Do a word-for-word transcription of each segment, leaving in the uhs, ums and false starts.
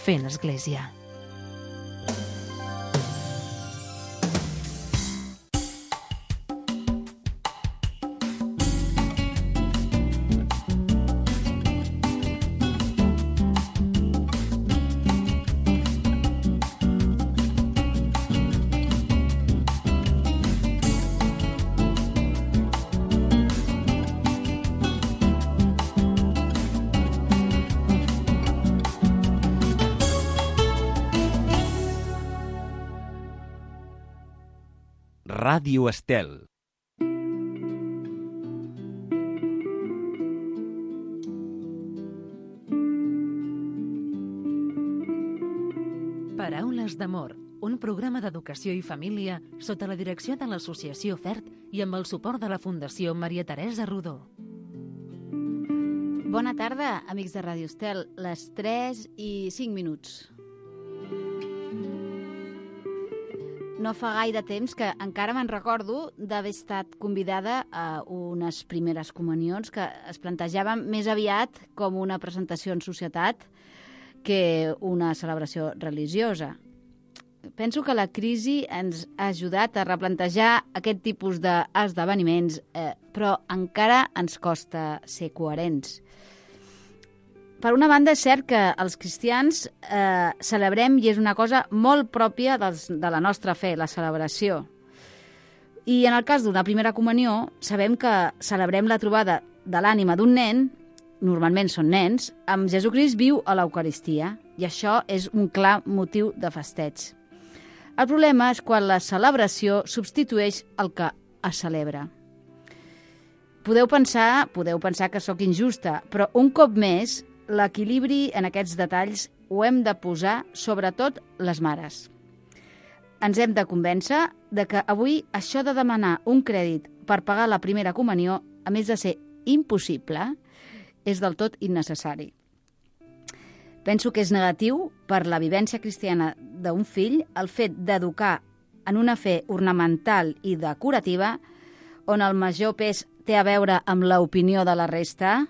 Fent Església. Ràdio Estel. Paraules d'amor, un programa d'educació i família sota la direcció de l'Associació FERT i amb el suport de la Fundació Maria Teresa Rodó. Bona tarda, amics de Ràdio Estel. Les tres i cinc minuts. No fa gaire temps que encara me'n recordo d'haver estat convidada a unes primeres comunions que es plantejaven més aviat com una presentació en societat que una celebració religiosa. Penso que la crisi ens ha ajudat a replantejar aquest tipus d'esdeveniments, eh, però encara ens costa ser coherents. Per una banda, és cert que els cristians eh, celebrem, i és una cosa molt pròpia dels, de la nostra fe, la celebració. I en el cas d'una primera comunió, sabem que celebrem la trobada de l'ànima d'un nen, normalment són nens, amb Jesucrist viu a l'Eucaristia, i això és un clar motiu de festeig. El problema és quan la celebració substitueix el que es celebra. Podeu pensar, podeu pensar que sóc injusta, però un cop més l'equilibri en aquests detalls ho hem de posar sobretot les mares. Ens hem de convèncer de que avui això de demanar un crèdit per pagar la primera comunió, a més de ser impossible, és del tot innecessari. Penso que és negatiu per la vivència cristiana d'un fill el fet d'educar en una fe ornamental i decorativa on el major pes té a veure amb l'opinió de la resta,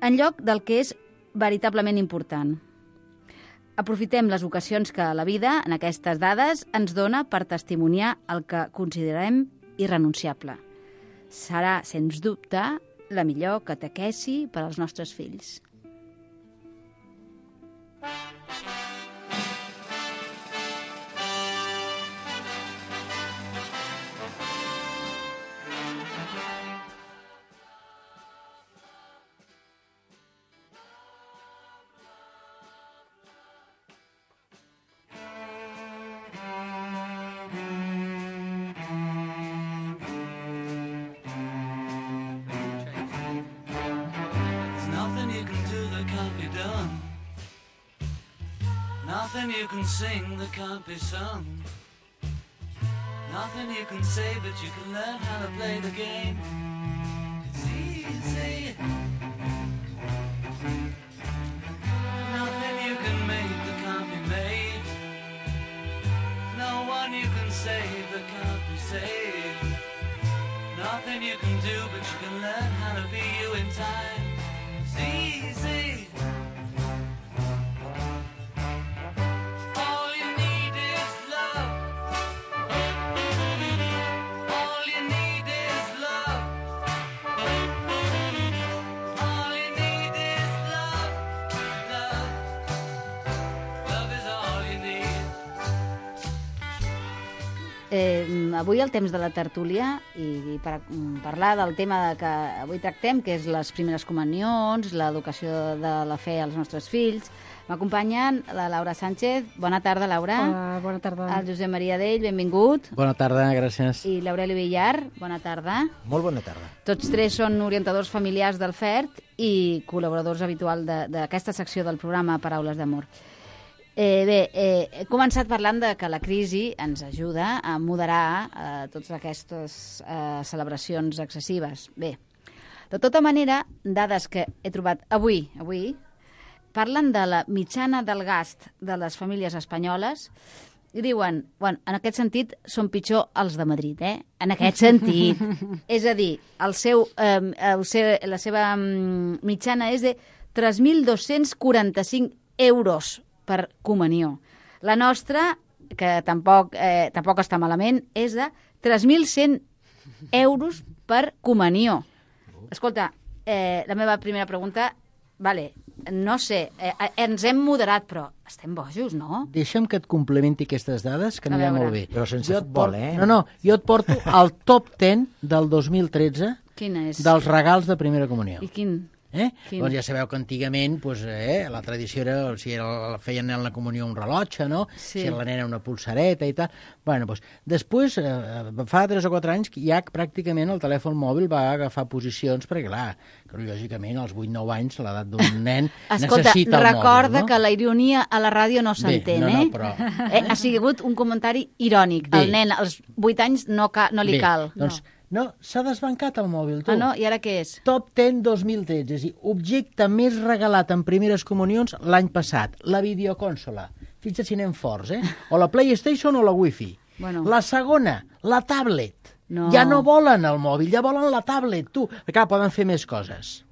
en lloc del que és veritablement important. Aprofitem les ocasions que la vida, en aquestes dades, ens dona per testimoniar el que considerem irrenunciable. Serà, sens dubte, la millor catequesi per als nostres fills. Nothing you can sing that can't be sung. Nothing you can say, but you can learn how to play the game. It's easy. Nothing you can make that can't be made. No one you can save that can't be saved. Nothing you can do, but you can learn how to be you in time. It's easy. Eh, avui el temps de la tertúlia i, i per mm, parlar del tema que avui tractem, que és les primeres comunions, l'educació de la fe als nostres fills, m'acompanyen la Laura Sánchez. Bona tarda, Laura. Hola, bona tarda. El Josep Maria Dell, benvingut. Bona tarda, gràcies. I l'Aureli Villar, bona tarda. Molt bona tarda. Tots tres són orientadors familiars del FERT i col·laboradors habituals d'aquesta secció del programa Paraules d'Amor. Eh, bé, eh, he començat parlant de que la crisi ens ajuda a moderar eh, totes aquestes eh, celebracions excessives. Bé, de tota manera, dades que he trobat avui, avui parlen de la mitjana del gast de les famílies espanyoles i diuen, bueno, en aquest sentit són pitjor els de Madrid, eh? En aquest sentit. És a dir, el seu, eh, el seu, la seva mitjana és de tres mil dos-cents quaranta-cinc euros per comunió. La nostra, que tampoc, eh, tampoc està malament, és de tres mil cent euros per comunió. Escolta, eh, la meva primera pregunta, vale, no sé, eh, ens hem moderat, però estem bojos, no? Deixa'm que et complementi aquestes dades, que anirà molt bé. Però sense Jo et futbol, porto- eh? No, no, jo et porto al top deu del dos mil tretze Quina és? dels regals de primera comunió. I quin? Eh? Quin? Doncs ja sabeu que antigament pues, eh, la tradició era, si era, feien en la comunió un rellotge, no? Sí. Si era la nena una pulsareta i tal. Bueno, doncs, després, eh, fa tres o quatre anys, ja pràcticament el telèfon mòbil va agafar posicions, perquè clar, que lògicament als vuit nou anys l'edat d'un nen Escolta, necessita el recorda mòbil, no? que la ironia a la ràdio no Bé, s'entén, no, no, eh? però- eh? Ha sigut un comentari irònic. Bé. El nen als vuit anys no, ca no li Bé, cal. doncs, no, s'ha desbancat el mòbil, tu. Ah, no? I ara què és? Top deu dos mil tretze, és a dir, objecte més regalat en primeres comunions l'any passat, la videocònsola. Fixa't si anem forts, eh? O la PlayStation o la Wi-Fi. Bueno. La segona, la tablet. No. Ja no volen el mòbil, ja volen la tablet, tu. Clar, poden fer més coses.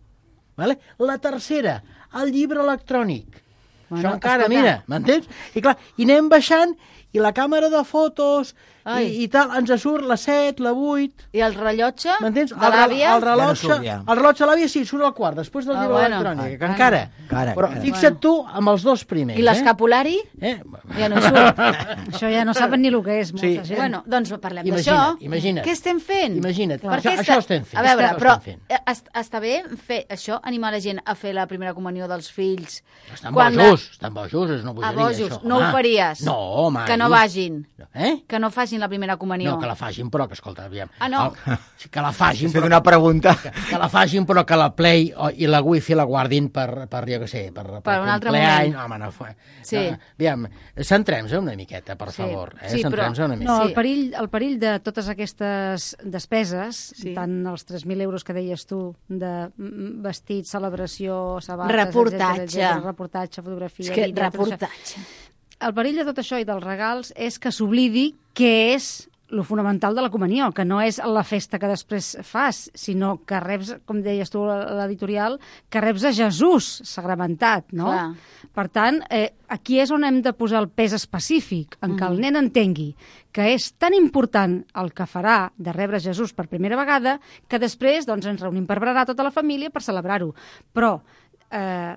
Vale? La tercera, el llibre electrònic. Bueno, Això encara, escolta. mira, m'entens? I clar, i anem baixant, i la càmera de fotos, Ai. i, i tal, ens surt la set, la vuit... I el rellotge M'entens? de l'àvia? El, el rellotge, Ja no surt, ja. el rellotge de l'àvia sí, surt al quart, després del Ah, llibre bueno. electrònic, que Ah, encara. encara, Però encara. fixa't tu amb els dos primers. I l'escapulari? Eh? eh? Ja no hi surt. Això ja no saben ni el que és, molta Sí. gent. Bueno, doncs parlem Imagina't, d'això. imagina't. Què estem fent? Imagina't. Per Això- què això estem fent. A veure, Això però estem fent. eh, est està bé fer això, animar la gent a fer la primera comunió dels fills? Estan quan bojos, estan bojos, és una A bogeria, bojos, això. no ho home. faries? No, home. Que no dius- vagin. Eh? Que no facin la primera comunió. No, que la facin, però que, escolta, aviam. Ah, no? El, sí, que la facin, Has fet però, una pregunta. que, que la facin, però que la Play o, i la Wi-Fi la guardin per, per jo què sé, per, per, un altre compleany. moment. Home, no, fa- Sí. no, aviam, centrem-se una miqueta, per Sí. favor. Eh? Sí, però- Centrem-se una No, miqueta. Sí. el perill, el perill de totes aquestes despeses, Sí. tant els tres mil euros que deies tu, de mm, vestit, celebració, sabates, Reportatge. etcètera, etcètera, reportatge, fotografia... És que vídeo, tot això. reportatge. El perill de tot això i dels regals és que s'oblidi què és lo fonamental de la comunió, que no és la festa que després fas, sinó que reps, com deies tu a l'editorial, que reps a Jesús sagramentat, no? Clar. Per tant, eh, aquí és on hem de posar el pes específic, en què el nen entengui que és tan important el que farà de rebre Jesús per primera vegada que després doncs, ens reunim per berenar tota la família per celebrar-ho. Però eh,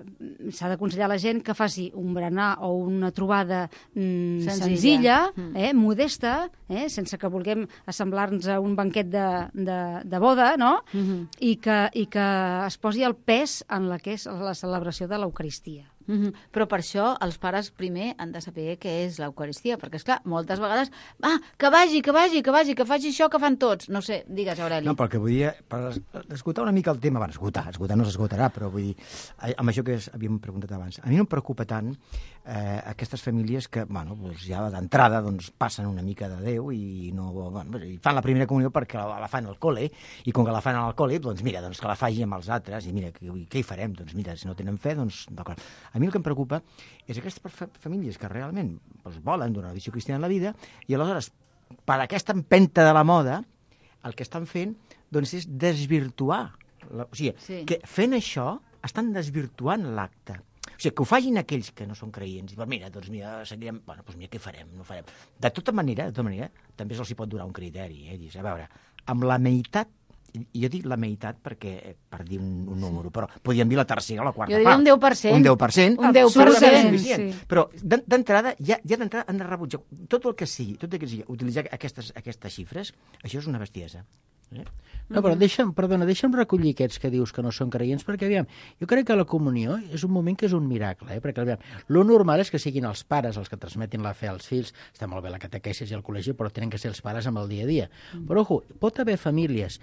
s'ha d'aconsellar a la gent que faci un berenar o una trobada mm, Senzilla. senzilla, Mm. eh, modesta, eh, sense que vulguem assemblar-nos a un banquet de, de, de boda, no? Mhm. I, que, i que es posi el pes en la que és la celebració de l'Eucaristia. Mhm. Però per això els pares primer han de saber què és l'Eucaristia, perquè, esclar, moltes vegades, ah, que vagi, que vagi, que vagi, que faci això que fan tots. No sé, digues, Aureli. No, perquè vull dir, per es- esgotar una mica el tema, bueno, esgotar, esgotar no s'esgotarà, però vull dir, eh, amb això que es- havíem preguntat abans, a mi no em preocupa tant eh, aquestes famílies que, bueno, doncs ja d'entrada doncs, passen una mica de Déu i no, bueno, i fan la primera comunió perquè la, la fan al col·le, i com que la fan al col·le, doncs mira, doncs que la faci amb els altres, i mira, què, què hi farem? Doncs mira, si no tenen fe, doncs d'acord. A mi el que em preocupa és aquestes fa- famílies que realment doncs, volen donar una visió cristiana en la vida i aleshores, per aquesta empenta de la moda, el que estan fent doncs, és desvirtuar. La, o sigui, Sí. que fent això estan desvirtuant l'acte. O sigui, que ho facin aquells que no són creients. I, doncs mira, doncs mira, seguirem... Bueno, doncs mira, què farem? No farem. De tota manera, de tota manera, també se'ls hi pot donar un criteri. Eh? Dius, a veure, amb la meitat, i jo dic la meitat perquè, eh, per dir un, un número, però podríem dir la tercera o la quarta Jo diria part. un deu per cent. Un deu per cent. Un deu per segurament és cent, suficient. sí. Però d'en- d'entrada, ja, ja d'entrada han de rebutjar tot el que sigui, tot el que sigui, utilitzar aquestes, aquestes xifres, això és una bestiesa. Eh? No, però deixa'm, perdona, deixa'm recollir aquests que dius que no són creients, perquè, aviam, jo crec que la comunió és un moment que és un miracle, eh? perquè, aviam, lo normal és que siguin els pares els que transmetin la fe als fills, està molt bé la catequesis i el col·legi, però tenen que ser els pares amb el dia a dia. Però, ojo, pot haver famílies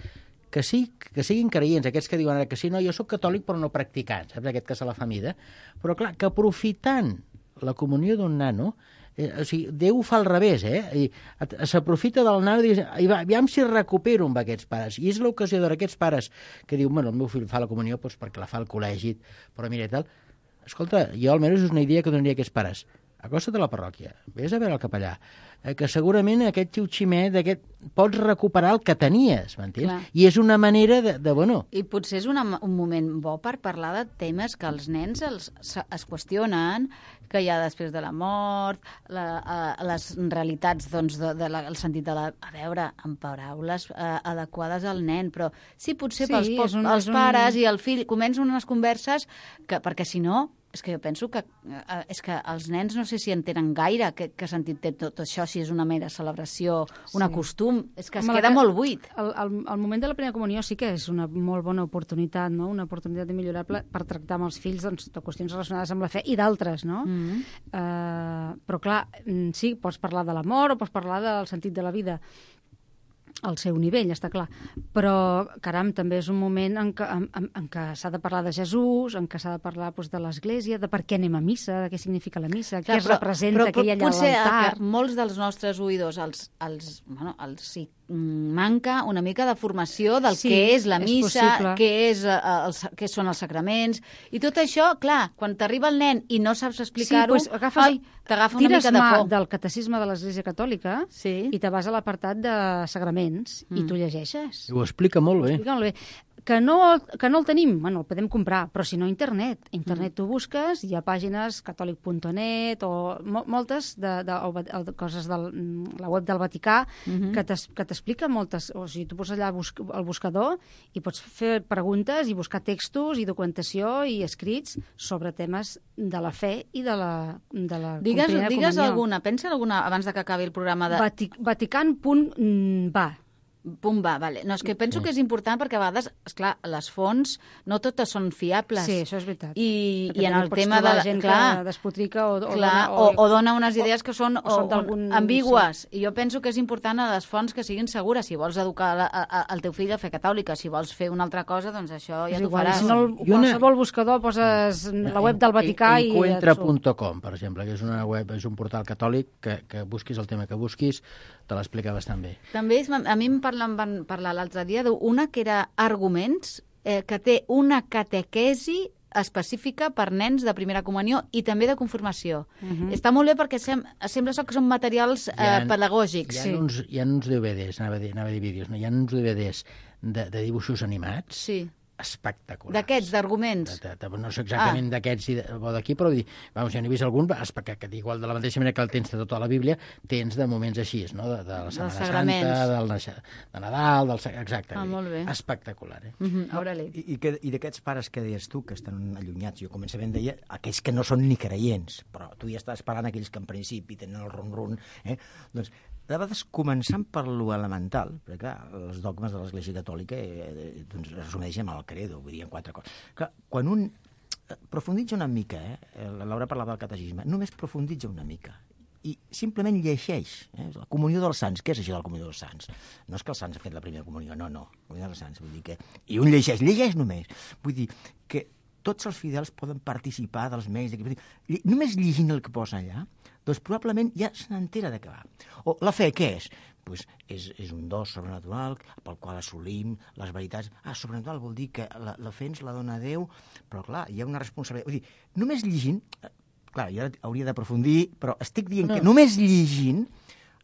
que sí, que siguin creients, aquests que diuen ara que sí, no, jo sóc catòlic però no practicant, saps, aquest que se la fa mida, però clar, que aprofitant la comunió d'un nano, Eh, o sigui, Déu ho fa al revés, eh? I et- s'aprofita del nano i dius, "Ai, va, aviam si recupero amb aquests pares. I és l'ocasió d'aquests pares que diuen, bueno, el meu fill fa la comunió doncs, perquè la fa al col·legi, però mira i tal. Escolta, jo almenys és una idea que donaria a aquests pares. acosta't a la parròquia, vés a veure el capellà, eh, que segurament aquest xiu-ximet aquest, pots recuperar el que tenies, m'entens? Clar. I és una manera de, de bueno... I potser és una, un moment bo per parlar de temes que els nens els, es qüestionen, que hi ha després de la mort, la, uh, les realitats, doncs, de, de la, el sentit de la... A veure, amb paraules uh, adequades al nen, però sí, potser Sí, pels, és pels, un- els és un- pares i el fill comencen unes converses que, perquè si no... És que jo penso que, eh, és que els nens no sé si entenen gaire què, què sentit té tot això, si és una mera celebració, una Sí. costum, és que es Home, la queda que- molt buit. El, el, el moment de la primera comunió sí que és una molt bona oportunitat, no? Una oportunitat immillorable per tractar amb els fills doncs, de qüestions relacionades amb la fe i d'altres, no? Mm -hmm. Uh, però clar, mm, sí, pots parlar de l'amor o pots parlar del sentit de la vida al seu nivell, està clar. Però, caram, també és un moment en què, en, en, en què s'ha de parlar de Jesús, en què s'ha de parlar doncs, de l'Església, de per què anem a missa, de què significa la missa, què es representa aquell allà a potser l'altar. que molts dels nostres oïdors els, els, bueno, els sí, manca una mica de formació del Sí, què és la és missa, possible. què, és, eh, els, què són els sacraments, i tot això, clar, quan t'arriba el nen i no saps explicar-ho, doncs agafes- ai, t'agafa una tires mica de mà por. del catecisme de l'Església Catòlica Sí. i te vas a l'apartat de sagraments Mm. i tu llegeixes. Ho explica molt bé. Explica molt bé. Que no, que no el tenim, bueno, el podem comprar, però si no, internet. Internet Mm. tu busques, hi ha pàgines catòlic punt net o mo moltes de, de, o, de coses de la web del Vaticà Mhm. que t'es- que t'explica moltes... O sigui, tu poses allà bus el buscador i pots fer preguntes i buscar textos i documentació i escrits sobre temes de la fe i de la, de la Digues, primera digues comunió. alguna, pensa en alguna abans de que acabi el programa de... Vatic Vatican punt va. Pum, va, vale. No, és que penso que és important perquè a vegades, esclar, les fonts no totes són fiables. Sí, això és veritat. I, Perquè i en també el pots tema de... trobar La, gent clar, que despotrica o, o, clar, dona, o, o dona unes idees que són, o són o, d'algun- ambigües. I jo penso que és important a les fonts que siguin segures. Si vols educar la, a, a, el teu fill a fer catòlica, si vols fer una altra cosa, doncs això ja és t'ho igual. faràs. Si no, el, I una- qualsevol buscador poses la web del Vaticà i... Encuentra punt com, per exemple, que és una web, és un portal catòlic que, que busquis el tema que busquis, te l'explica bastant bé. També és, a mi em parlen, van parlar l'altre dia d'una que era arguments, eh, que té una catequesi específica per nens de primera comunió i també de confirmació. Uh -huh. Està molt bé perquè sem sembla que són materials eh, Hi ha- pedagògics. Hi ha, Sí. uns, hi ha uns D V Ds, anava a dir, anava a dir vídeos, no? Hi ha uns D V Ds de, de dibuixos animats Sí. espectaculars. D'aquests, d'arguments. De, de, de, no sé exactament ah. d'aquests i de, o d'aquí, però vull dir, vamos, jo n'he vist algun, que, que igual de la mateixa manera que el tens de tota la Bíblia, tens de moments així, no? De, de la Setmana sagraments. Santa, del, naix- de Nadal, del, sa- exacte. Ah, vull dir, molt bé. Espectacular, eh? Mm -hmm. Ora-li. I, i, que, i d'aquests pares que deies tu, que estan allunyats, jo començament deia aquells que no són ni creients, però tu ja estàs parlant aquells que en principi tenen el ron-ron, eh? Doncs, de vegades, començant per lo elemental, perquè clar, els dogmes de l'Església Catòlica eh, eh, doncs, es resumeixen amb el credo, vull dir, en quatre coses. Clar, quan un eh, profunditza una mica, eh, Laura parlava del catecisme, només profunditza una mica, i simplement llegeix eh, la comunió dels sants. Què és això de la comunió dels sants? No és que els sants han fet la primera comunió, no, no, la comunió dels sants, vull dir que... I un llegeix, llegeix només. Vull dir que tots els fidels poden participar dels mèrits d'aquí. Només llegint el que posa allà, doncs probablement ja se n'entera de què va. O la fe, què és? Pues és, és un do sobrenatural pel qual assolim les veritats. Ah, sobrenatural vol dir que la, la fe ens la dona Déu, però clar, hi ha una responsabilitat. Vull dir, només llegint, clar, jo hauria d'aprofundir, però estic dient no. que només llegint,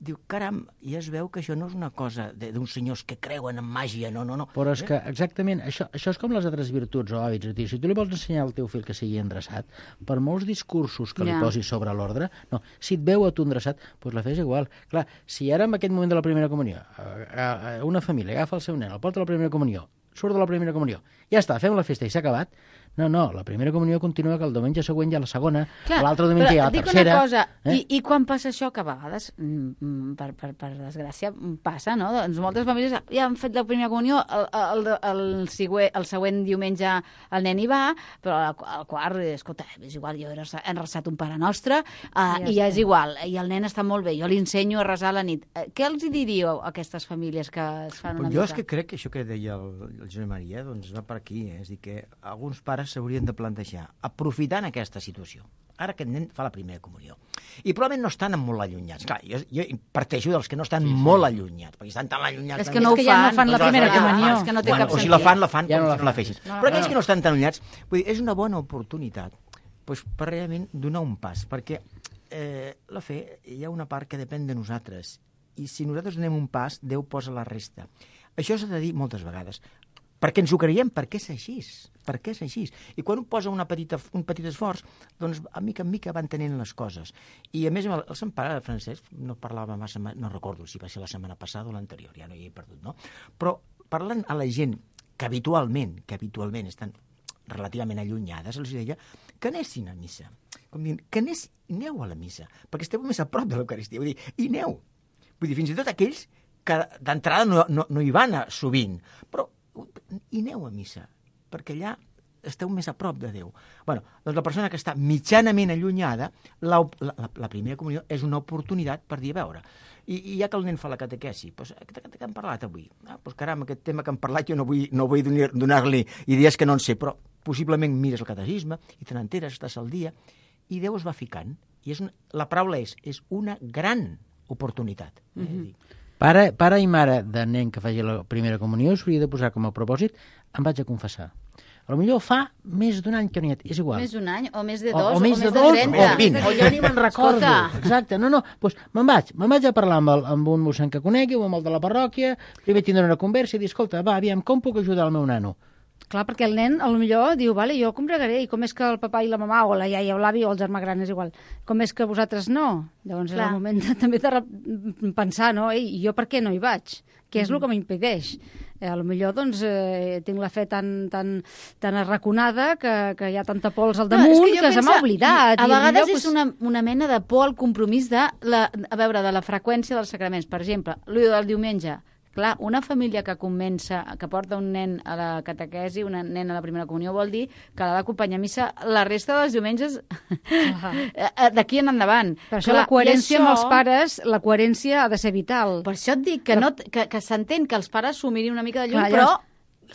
diu, caram, ja es veu que això no és una cosa d'uns senyors que creuen en màgia, no, no, no. Però és que, exactament, això, això és com les altres virtuts o hàbits. És a dir, si tu li vols ensenyar al teu fill que sigui endreçat, per molts discursos que li Ja. posis sobre l'ordre, no, si et veu a tu endreçat, doncs la fes igual. Clar, si ara en aquest moment de la primera comunió eh, eh, una família agafa el seu nen, el porta a la primera comunió, surt de la primera comunió, ja està, fem la festa i s'ha acabat. No, no, la primera comunió continua, que el diumenge següent hi ha la segona, l'altre diumenge hi ha la dic tercera. una cosa, eh? i, i quan passa això, que a vegades, mm, per, per, per desgràcia, passa, no? Doncs moltes famílies ja han fet la primera comunió, el, el, el, el, següent, el següent diumenge el nen hi va, però al, al quart, escolta, és igual, jo he resat, he resat un Pare Nostre, uh, Ja i ja està. és igual, i el nen està molt bé, jo li ensenyo a resar a la nit. Eh, Què els hi diríeu a aquestes famílies que es fan una Però jo mica? és que crec que això que deia el, el Josep Maria doncs va per aquí, eh? És a dir, que alguns pares s'haurien de plantejar, aprofitant aquesta situació, ara que el nen fa la primera comunió, i probablement no estan molt allunyats. Clar, jo, jo parteixo dels que no estan sí, sí. molt allunyats, perquè estan tan allunyats... És tan que no ho que ja no fan, fan la doncs primera ja, comunió. és que no té bueno, cap o si sentit. la fan, la fan Ja com no la si no la fan. fessin. No, Però aquells no. que no estan tan allunyats, vull dir, és una bona oportunitat doncs, per realment donar un pas, perquè eh, la fe, hi ha una part que depèn de nosaltres, i si nosaltres donem un pas, Déu posa la resta. Això s'ha de dir moltes vegades. Perquè ens ho creiem, perquè és així. Per què és així? I quan un posa una petita, un petit esforç, doncs a mica en mica van tenint les coses. I a més, el, el Sant Pare Francesc no parlava massa, no recordo si va ser la setmana passada o l'anterior, ja no hi he perdut, no? Però parlant a la gent que habitualment, que habitualment estan relativament allunyades, els deia que anessin a missa. Com dient, que anés, aneu a la missa, perquè esteu més a prop de l'Eucaristia. Vull dir, i aneu. Vull dir, fins i tot aquells que d'entrada no, no, no hi van a sovint, però i aneu a missa, perquè allà esteu més a prop de Déu. Bueno, doncs la persona que està mitjanament allunyada, la, la, la primera comunió és una oportunitat per dir, a veure, i, i ja que el nen fa la catequesi, doncs, què, què hem parlat avui? Ah, doncs caram, aquest tema que hem parlat jo no vull, no vull donar-li idees que no en sé, però possiblement mires el catecisme i te n'enteres, estàs al dia, i Déu es va ficant. I és una, la paraula és, és una gran oportunitat. Eh? Mm-hmm. Pare, pare i mare de nen que faci la primera comunió s'hauria de posar com a propòsit, em vaig a confessar. A lo millor fa més d'un any que no hi ha... És igual. Més d'un any, o més de O, dos, o, o més més de, de dos, trenta. o vint, o ja ni me'n recordo. Escolta. Exacte, no, no, doncs me'n vaig, me'n vaig a parlar amb, el, amb un mossèn que conegui o amb el de la parròquia, primer tindré una conversa i dir, escolta, va, aviam, com puc ajudar el meu nano? Clar, perquè el nen, a lo millor, diu, vale, jo combregaré, i com és que el papà i la mamà, o la iaia o l'avi, o el germà gran, és igual, com és que vosaltres no? Llavors Clar. és el moment de, també de re- pensar, no? Ei, jo per què no hi vaig? Què és el que m'impedeix? Eh, a lo millor, doncs, eh, tinc la fe tan, tan, tan arraconada que, que hi ha tanta pols al damunt No, que, jo que se m'ha penso- oblidat. A i vegades millor, és una, una mena de por al compromís de, la, a veure, de la freqüència dels sacraments. Per exemple, l'ull del diumenge. Clar, una família que comença, que porta un nen a la catequesi, un nen a la primera comunió, vol dir que l'ha d'acompanyar a missa la resta dels diumenges d'aquí en endavant. Per això Clar, la coherència i això- amb els pares, la coherència ha de ser vital. Per això et dic que, no, que, que s'entén que els pares s'ho mirin una mica de lluny, Clar, però llavors,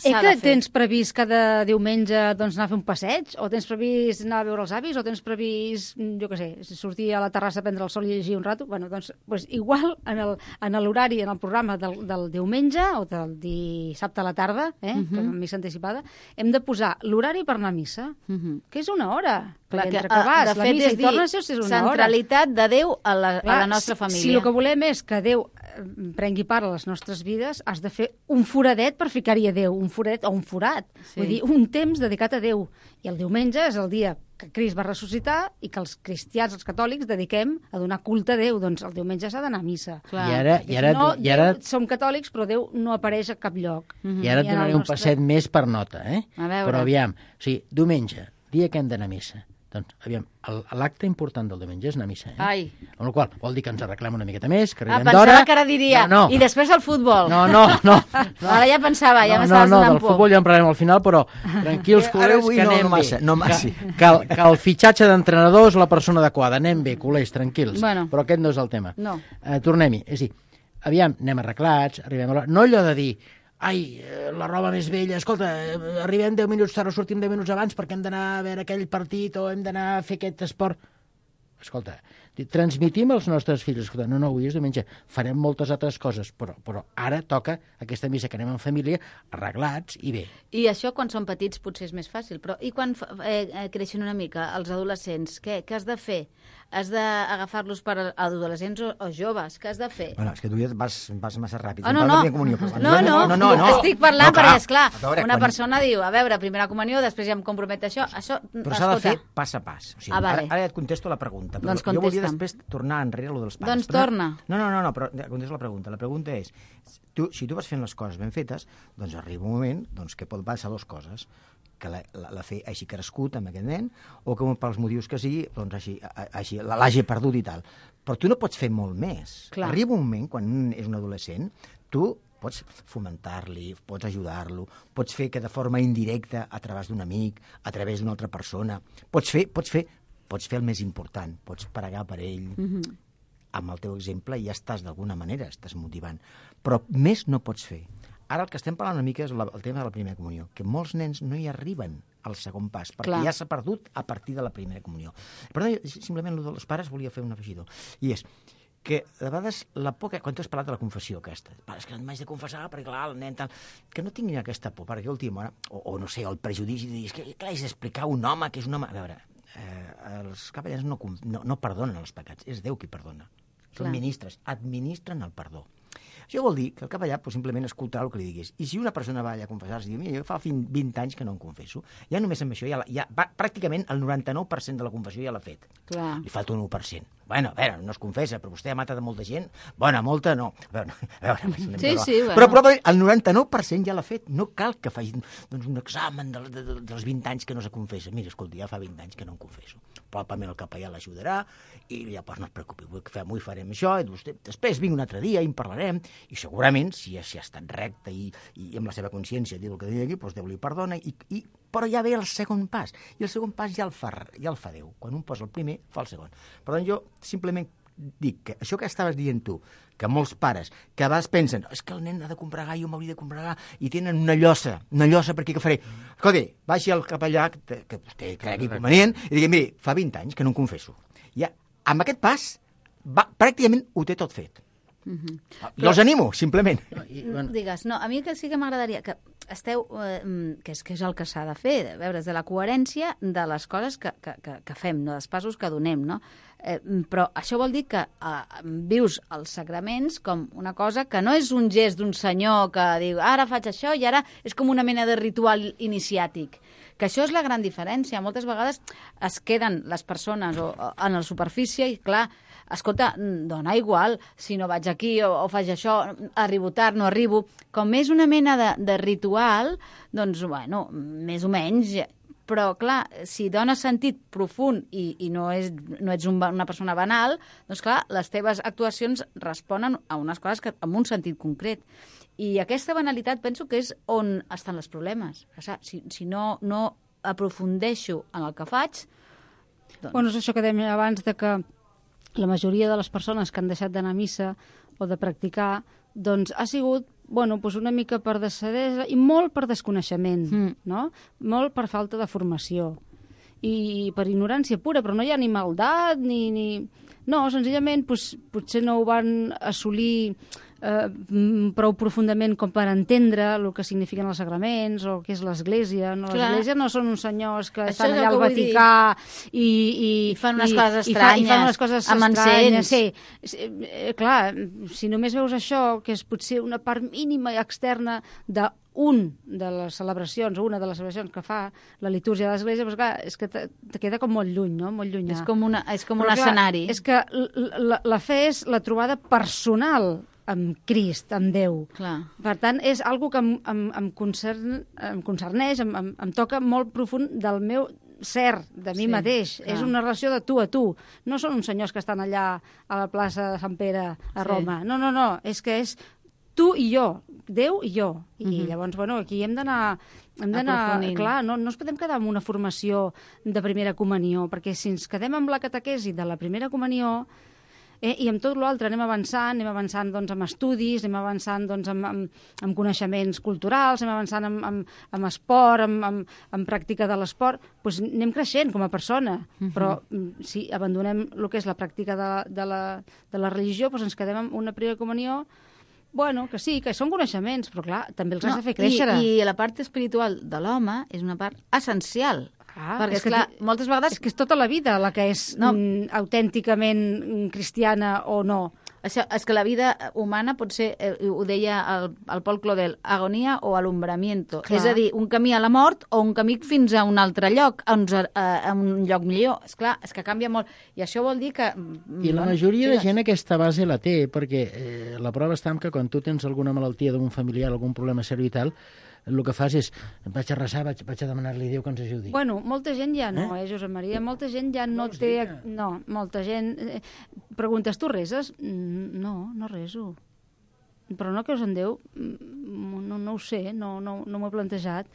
Eh s'ha que de fer. tens previst cada diumenge doncs, anar a fer un passeig? O tens previst anar a veure els avis? O tens previst, jo què sé, sortir a la terrassa a prendre el sol i llegir un rato? Bueno, doncs, doncs igual en el- en l'horari, en el programa del, del diumenge o del dissabte a la tarda, eh, uh -huh. que és missa anticipada, hem de posar l'horari per anar a missa, uh -huh. que és una hora. Clar, Perquè que, entre que vas, de la fet, missa és i dir, tornes, és una hora. centralitat de Déu a la, Clar, a la nostra si, família. Si el que volem és que Déu eh, prengui part a les nostres vides, has de fer un foradet per ficar-hi a Déu, un foradet o un forat. Sí. Vull dir, un temps dedicat a Déu. I el diumenge és el dia que Crist va ressuscitar i que els cristians, els catòlics, dediquem a donar culte a Déu. Doncs el diumenge s'ha d'anar a missa. Clar. I ara, Perquè i ara, si no, i ara, Déu, som catòlics, però Déu no apareix a cap lloc. i ara et I en el donaré un nostre- passet més per nota, eh? A veure. Però aviam, o sigui, diumenge, dia que hem d'anar a missa. Doncs, aviam, el- l'acte important del diumenge és anar a missa, eh? Ai. Amb la qual cosa vol dir que ens arreglem una miqueta més, que Ah, arribem d'hora... pensava que ara diria, No, no. i després el futbol. No, no, no. no. Ara ja pensava, ja no, m'estaves no, no, donant del por. futbol ja en parlarem al final, però tranquils, Eh, ara culers, avui que no, anem no massa, bé. no massa. Que, que, el, que el fitxatge d'entrenador és la persona adequada. Anem bé, culers, tranquils. Bueno. Però aquest no és el tema. No. Eh, Tornem-hi. És a dir, aviam, anem arreglats, arribem a l'hora... No allò de dir, ai, eh, la roba més vella, escolta, eh, arribem deu minuts tard o sortim deu minuts abans perquè hem d'anar a veure aquell partit o hem d'anar a fer aquest esport. Escolta, transmitim als nostres fills, escolta, no, no, avui és diumenge, farem moltes altres coses, però, però ara toca aquesta missa que anem en família, arreglats i bé. I això quan són petits potser és més fàcil, però i quan fa- eh, eh, creixen una mica els adolescents, què, què has de fer? Has d'agafar-los per a- adolescents o, o joves? Què has de fer? Bueno, és que tu ja vas, vas massa ràpid. Ah, no, Em no. parla de comunió, però- No, no, no, no, no. estic parlant No, clar. perquè, esclar, A veure, una quan- persona diu, a veure, primera comunió, després ja em compromet això, això, Però s'ha de escolta, fer pas a pas. O sigui, Ah, vale. ara, ara et contesto la pregunta. Però Doncs jo volia contesta'm. després tornar enrere a lo dels pares. Doncs Però no- torna. No, no, no, no, però contesto la pregunta. La pregunta és, tu, si tu vas fent les coses ben fetes, doncs arriba un moment doncs, que pot passar dues coses. Que la, la, la fe hagi crescut amb aquest nen, o que pels motius que sigui, doncs hagi, hagi, l'hagi perdut i tal. Però tu no pots fer molt més. Clar. Arriba un moment, quan un és un adolescent, tu pots fomentar-li, pots ajudar-lo, pots fer que de forma indirecta, a través d'un amic, a través d'una altra persona, pots fer, pots fer, pots fer el més important, pots pregar per ell, mm-hmm. amb el teu exemple ja estàs d'alguna manera, estàs motivant. Però més no pots fer. Ara el que estem parlant una mica és la, el tema de la primera comunió, que molts nens no hi arriben al segon pas, perquè Clar. ja s'ha perdut a partir de la primera comunió. Per tant, simplement, el dels pares volia fer un afegidor. I és que, de vegades, la por que... Quan tu has parlat de la confessió aquesta, és que m'haig de confessar perquè, clar, el nen tal... Que no tinguin aquesta por, perquè últim hora, o, o no sé, el prejudici de dir, és que, clar, és explicar a un home que és un home... A veure, eh, els capellans no, no, no perdonen els pecats, és Déu qui perdona. Són Clar. ministres, administren el perdó. Això vol dir que el capellà pues, simplement escoltarà el que li diguis. I si una persona va allà a confessar-se i diu, mira, jo fa vint anys que no em confesso, ja només amb això, ja, ja va, pràcticament el noranta-nou per cent de la confessió ja l'ha fet. Clar. Li falta un u per cent. Bueno, a veure, no es confessa, però vostè ha matat molta gent. Bona, molta, no. A veure, a veure Sí, sí, bueno. Però probablement el noranta-nou per cent ja l'ha fet. No cal que faci doncs, un examen de, de, de, dels vint anys que no se confessa. Mira, escolta, ja fa vint anys que no em confesso. Probablement el capellà l'ajudarà i ja, doncs, no es preocupi, avui farem això, i vostè, després vinc un altre dia i en parlarem, i segurament, si, si ha estat recte i, i amb la seva consciència diu el que digui, doncs Déu li perdona, i, i, però ja ve el segon pas, i el segon pas ja el fa, ja el fa Déu. Quan un posa el primer, fa el segon. Per tant, jo simplement dic que això que estaves dient tu, que molts pares, que a vegades pensen, és que el nen ha de comprar gai, jo m'hauria de comprar gai, i tenen una llosa, una llosa per aquí que faré. Escolta, baixi al capellà, que, que vostè cregui convenient, i digui, miri, fa vint anys que no em confesso. Ja, amb aquest pas, va, pràcticament ho té tot fet. Mhm. Jo els animo, simplement. I, Bueno. Digues, no, a mi que sí que m'agradaria que esteu, eh, que, és, que és el que s'ha de fer, de veure, de la coherència de les coses que, que, que, que fem, no? dels passos que donem, no? Eh, però això vol dir que eh, vius els sagraments com una cosa que no és un gest d'un senyor que diu, ara faig això i ara és com una mena de ritual iniciàtic. Que això és la gran diferència. Moltes vegades es queden les persones o, o, en la superfície i, clar, escolta, dona igual si no vaig aquí o, o faig això, arribo tard, no arribo. Com és una mena de, de ritual, doncs, bueno, més o menys. Però, clar, si dones sentit profund i, i no, és, no ets un, una persona banal, doncs, clar, les teves actuacions responen a unes coses que, amb un sentit concret. I aquesta banalitat penso que és on estan els problemes. O sigui, si, si no, no aprofundeixo en el que faig... Doncs... Bueno, és això que dèiem abans, de que la majoria de les persones que han deixat d'anar a missa o de practicar, doncs ha sigut bueno, doncs una mica per desadesa i molt per desconeixement, mm. no? Molt per falta de formació i per ignorància pura, però no hi ha ni maldat ni... ni... No, senzillament doncs, potser no ho van assolir eh, prou profundament com per entendre el que signifiquen els sagraments o què és l'Església. No? L'Església no són uns senyors que Això estan allà al Vaticà i, i, I fan unes i, coses i, fa, estranyes, i fan unes coses amb estranyes. encens. Sí. Eh, clar, si només veus això, que és potser una part mínima i externa de un de les celebracions, o una de les celebracions que fa la litúrgia de l'Església, doncs clar, és que te, te queda com molt lluny, no? Molt llunyà. És com, una, és com Però, un clar, escenari. És que la, la fe és la trobada personal amb Crist, amb Déu. Clar. Per tant, és algo que em, em, em, concern, em concerneix, em, em, em toca molt profund del meu ser, de mi Sí, mateix. clar. És una relació de tu a tu. No són uns senyors que estan allà a la plaça de Sant Pere, a Sí. Roma. No, no, no. És que és tu i jo, Déu i jo. I Mhm. llavors, bueno, aquí hem d'anar... Hem d'anar, Aprofundint. clar, no, no ens podem quedar amb una formació de primera comunió, perquè si ens quedem amb la catequesi de la primera comunió, eh, i amb tot l'altre anem avançant, anem avançant doncs, amb estudis, anem avançant doncs, amb, amb, amb coneixements culturals, anem avançant amb, amb, amb esport, amb, amb, amb pràctica de l'esport, doncs anem creixent com a persona, Mhm. però mm, si abandonem el que és la pràctica de, de, la, de la religió, doncs ens quedem amb una primera comunió. Bueno, que sí, que són coneixements, però clar, també els has de fer créixer. I, I la part espiritual de l'home és una part essencial. Ah, perquè, és que esclar, tu- moltes vegades... És que és tota la vida la que és No. mm, autènticament mm, cristiana o no. Això, és que la vida humana pot ser, eh, ho deia el, el Paul Claudel, agonia o alumbramiento. Clar. És a dir, un camí a la mort o un camí fins a un altre lloc, a un, a, a un lloc millor. És clar, és que canvia molt. I això vol dir que... I la majoria de gent aquesta base la té, perquè eh, la prova està en que quan tu tens alguna malaltia d'un familiar, algun problema seriós i tal, el que fas és, vaig a resar, vaig, vaig a demanar-li a Déu que ens ajudi. Bueno, molta gent ja no, eh, eh Josep Maria? Molta gent ja no Vols té... dir que- No, molta gent... Eh, preguntes, tu reses? Mm, No, no reso. Però no creus en Déu? Mm, No, no ho sé, no, no, no m'ho he plantejat.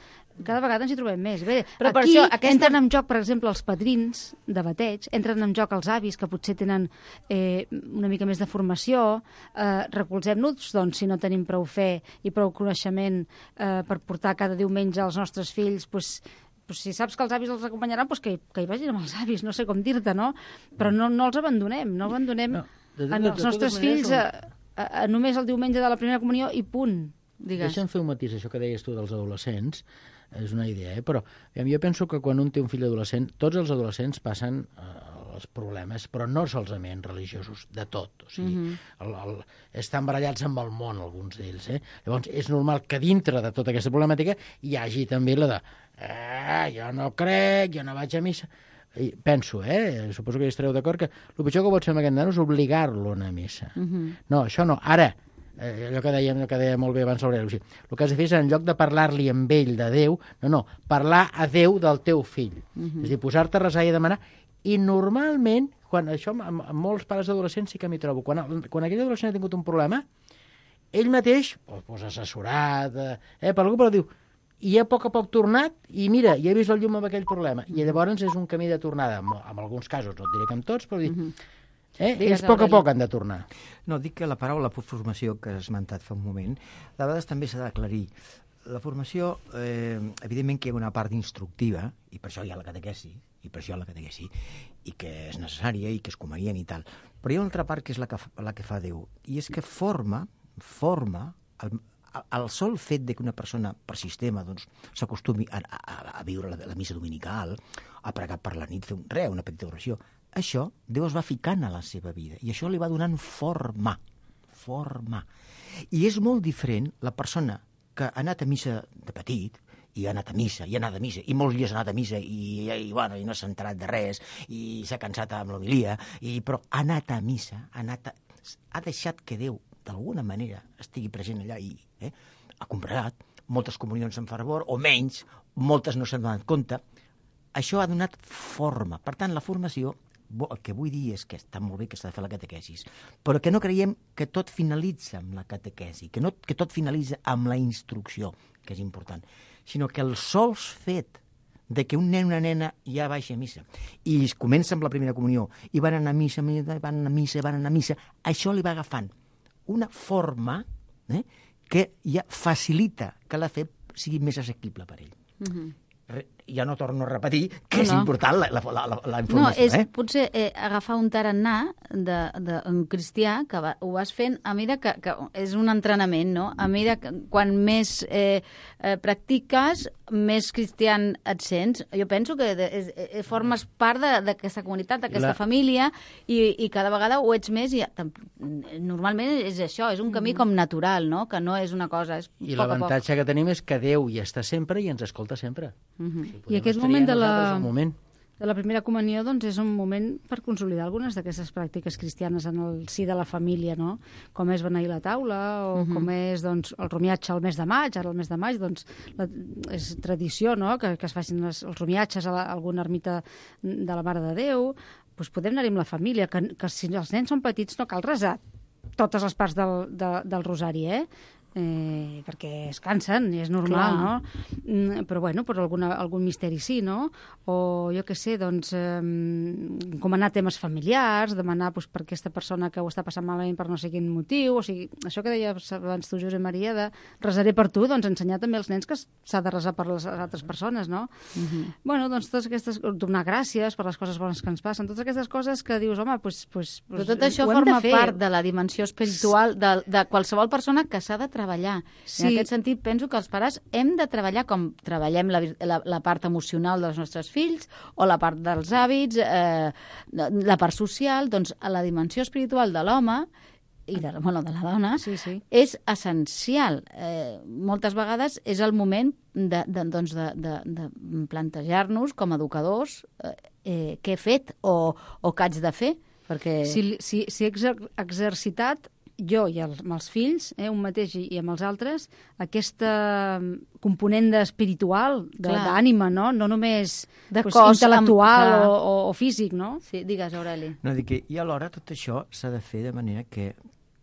Cada vegada ens hi trobem més. Bé, Però per aquí això, aquesta- entren en joc, per exemple, els padrins de bateig, entren en joc els avis, que potser tenen eh, una mica més de formació. Eh, recolzem-nos, doncs, si no tenim prou fe i prou coneixement eh, per portar cada diumenge als nostres fills, doncs, pues si saps que els avis els acompanyaran, pues que, que hi vagin amb els avis, no sé com dir-te, no? Però no, no els abandonem, no abandonem No, de- de- en de els totes nostres maneres, fills a, a, a, només el diumenge de la primera comunió i punt. Digues. Deixa'm fer un matís, això que deies tu dels adolescents. és una idea, eh? Però jo penso que quan un té un fill adolescent, tots els adolescents passen eh, els problemes, però no solament religiosos, de tot. O sigui, mm -hmm. el, el, estan barallats amb el món, alguns d'ells. Eh? Llavors, és normal que dintre de tota aquesta problemàtica hi hagi també la de eh, jo no crec, jo no vaig a missa. I penso, eh? Suposo que hi estareu d'acord, que el pitjor que pot fer amb aquest nano és obligar-lo a anar a missa. Mm -hmm. No, això no. Ara, eh, allò que dèiem, allò que deia molt bé abans l'Aureli, o sigui, el que has de fer és, en lloc de parlar-li amb ell de Déu, no, no, parlar a Déu del teu fill. Mm -hmm. És a dir, posar-te a resar i a demanar. I normalment, quan això amb, amb molts pares adolescents sí que m'hi trobo, quan, quan aquell adolescent ha tingut un problema, ell mateix, pues, assessorat, eh, per algú, però diu, i ha a poc a poc tornat, i mira, ja he vist la llum amb aquell problema. I llavors és un camí de tornada, en, en alguns casos, no et diré que en tots, però dir, mm -hmm. eh, ells a poc a poc han de tornar. No, dic que la paraula formació que has esmentat fa un moment, de vegades també s'ha d'aclarir. La formació, eh, evidentment que hi ha una part instructiva, i per això hi ha la catequesi, i per això la catequesi, i que és necessària i que és convenient i tal. Però hi ha una altra part que és la que, la que fa Déu, i és que forma, forma, el, el sol fet de que una persona per sistema doncs, s'acostumi a, a, a viure la, la missa dominical, a pregar per la nit, fer un, res, una petita oració, això Déu es va ficant a la seva vida, i això li va donant forma, forma. I és molt diferent la persona que ha anat a missa de petit, i ha anat a missa, i ha anat a missa, i molts dies ha anat a missa, i, i, bueno, i no s'ha enterat de res, i s'ha cansat amb l'homilia, i, però ha anat a missa, ha, anat a, ha deixat que Déu, d'alguna manera, estigui present allà, i eh, ha compregat, moltes comunions en fervor, o menys, moltes no s'han donat compte. Això ha donat forma. Per tant, la formació, el que vull dir és que està molt bé que s'ha de fer la catequesis, però que no creiem que tot finalitza amb la catequesi, que, no, que tot finalitza amb la instrucció, que és important, sinó que el sols fet de que un nen o una nena ja baixa a missa i es comença amb la primera comunió i van anar a missa, van anar a missa, van anar a missa, això li va agafant una forma eh, que ja facilita que la fe sigui més assequible per ell. Mm-hmm. Ja no torno a repetir que no, és no. important la, la, la, la informació. No, és eh? potser eh, agafar un tarannà d'un cristià que va, ho vas fent a mesura que, que és un entrenament, no? A mesura que quan més eh, eh, practiques, més cristian et sents. Jo penso que de, és, eh, formes part d'aquesta comunitat, d'aquesta la... família, i, i cada vegada ho ets més. I, normalment és això, és un camí mm. com natural, no? Que no és una cosa, és I poc l'avantatge que tenim és que Déu hi està sempre i ens escolta sempre. Mm-hmm. I aquest moment de la, moment de la primera comunió doncs, és un moment per consolidar algunes d'aquestes pràctiques cristianes en el si de la família, no? Com és beneir la taula, o uh-huh. com és doncs, el romiatge al mes de maig. Ara el mes de maig doncs, la, és tradició, no?, que, que es facin les, els romiatges a, la, a alguna ermita de la Mare de Déu. Doncs podem anar-hi amb la família, que, que si els nens són petits no cal resar totes les parts del, de, del rosari, eh? Eh, perquè es cansen, i és normal, Clar. no? Mm, però, bueno, per alguna, algun misteri sí, no? O, jo què sé, doncs, eh, encomanar temes familiars, demanar doncs, per aquesta persona que ho està passant malament per no sé quin motiu, o sigui, això que deies abans tu, Josep Maria, de resaré per tu, doncs ensenyar també als nens que s'ha de resar per les altres persones, no? Uh-huh. Bueno, doncs totes aquestes, donar gràcies per les coses bones que ens passen, totes aquestes coses que dius, home, doncs... doncs, doncs però tot això forma part de la dimensió espiritual de, de qualsevol persona que s'ha de treballar. Sí. En aquest sentit, penso que els pares hem de treballar com treballem la, la, la part emocional dels nostres fills o la part dels hàbits, eh, la part social, doncs a la dimensió espiritual de l'home i de, bueno, de la dona, sí, sí. és essencial. Eh, moltes vegades és el moment de, de, doncs de, de, de plantejar-nos com a educadors eh, eh, què he fet o, o què haig de fer. Perquè... Si, si, si he exer exercitat jo i els, amb els fills, eh, un mateix i, i amb els altres, aquesta component espiritual, d'ànima, no? No només de pues, cos intel·lectual amb... o, o, o físic, no? Sí, digues, Aureli. No, dic que, i alhora tot això s'ha de fer de manera que,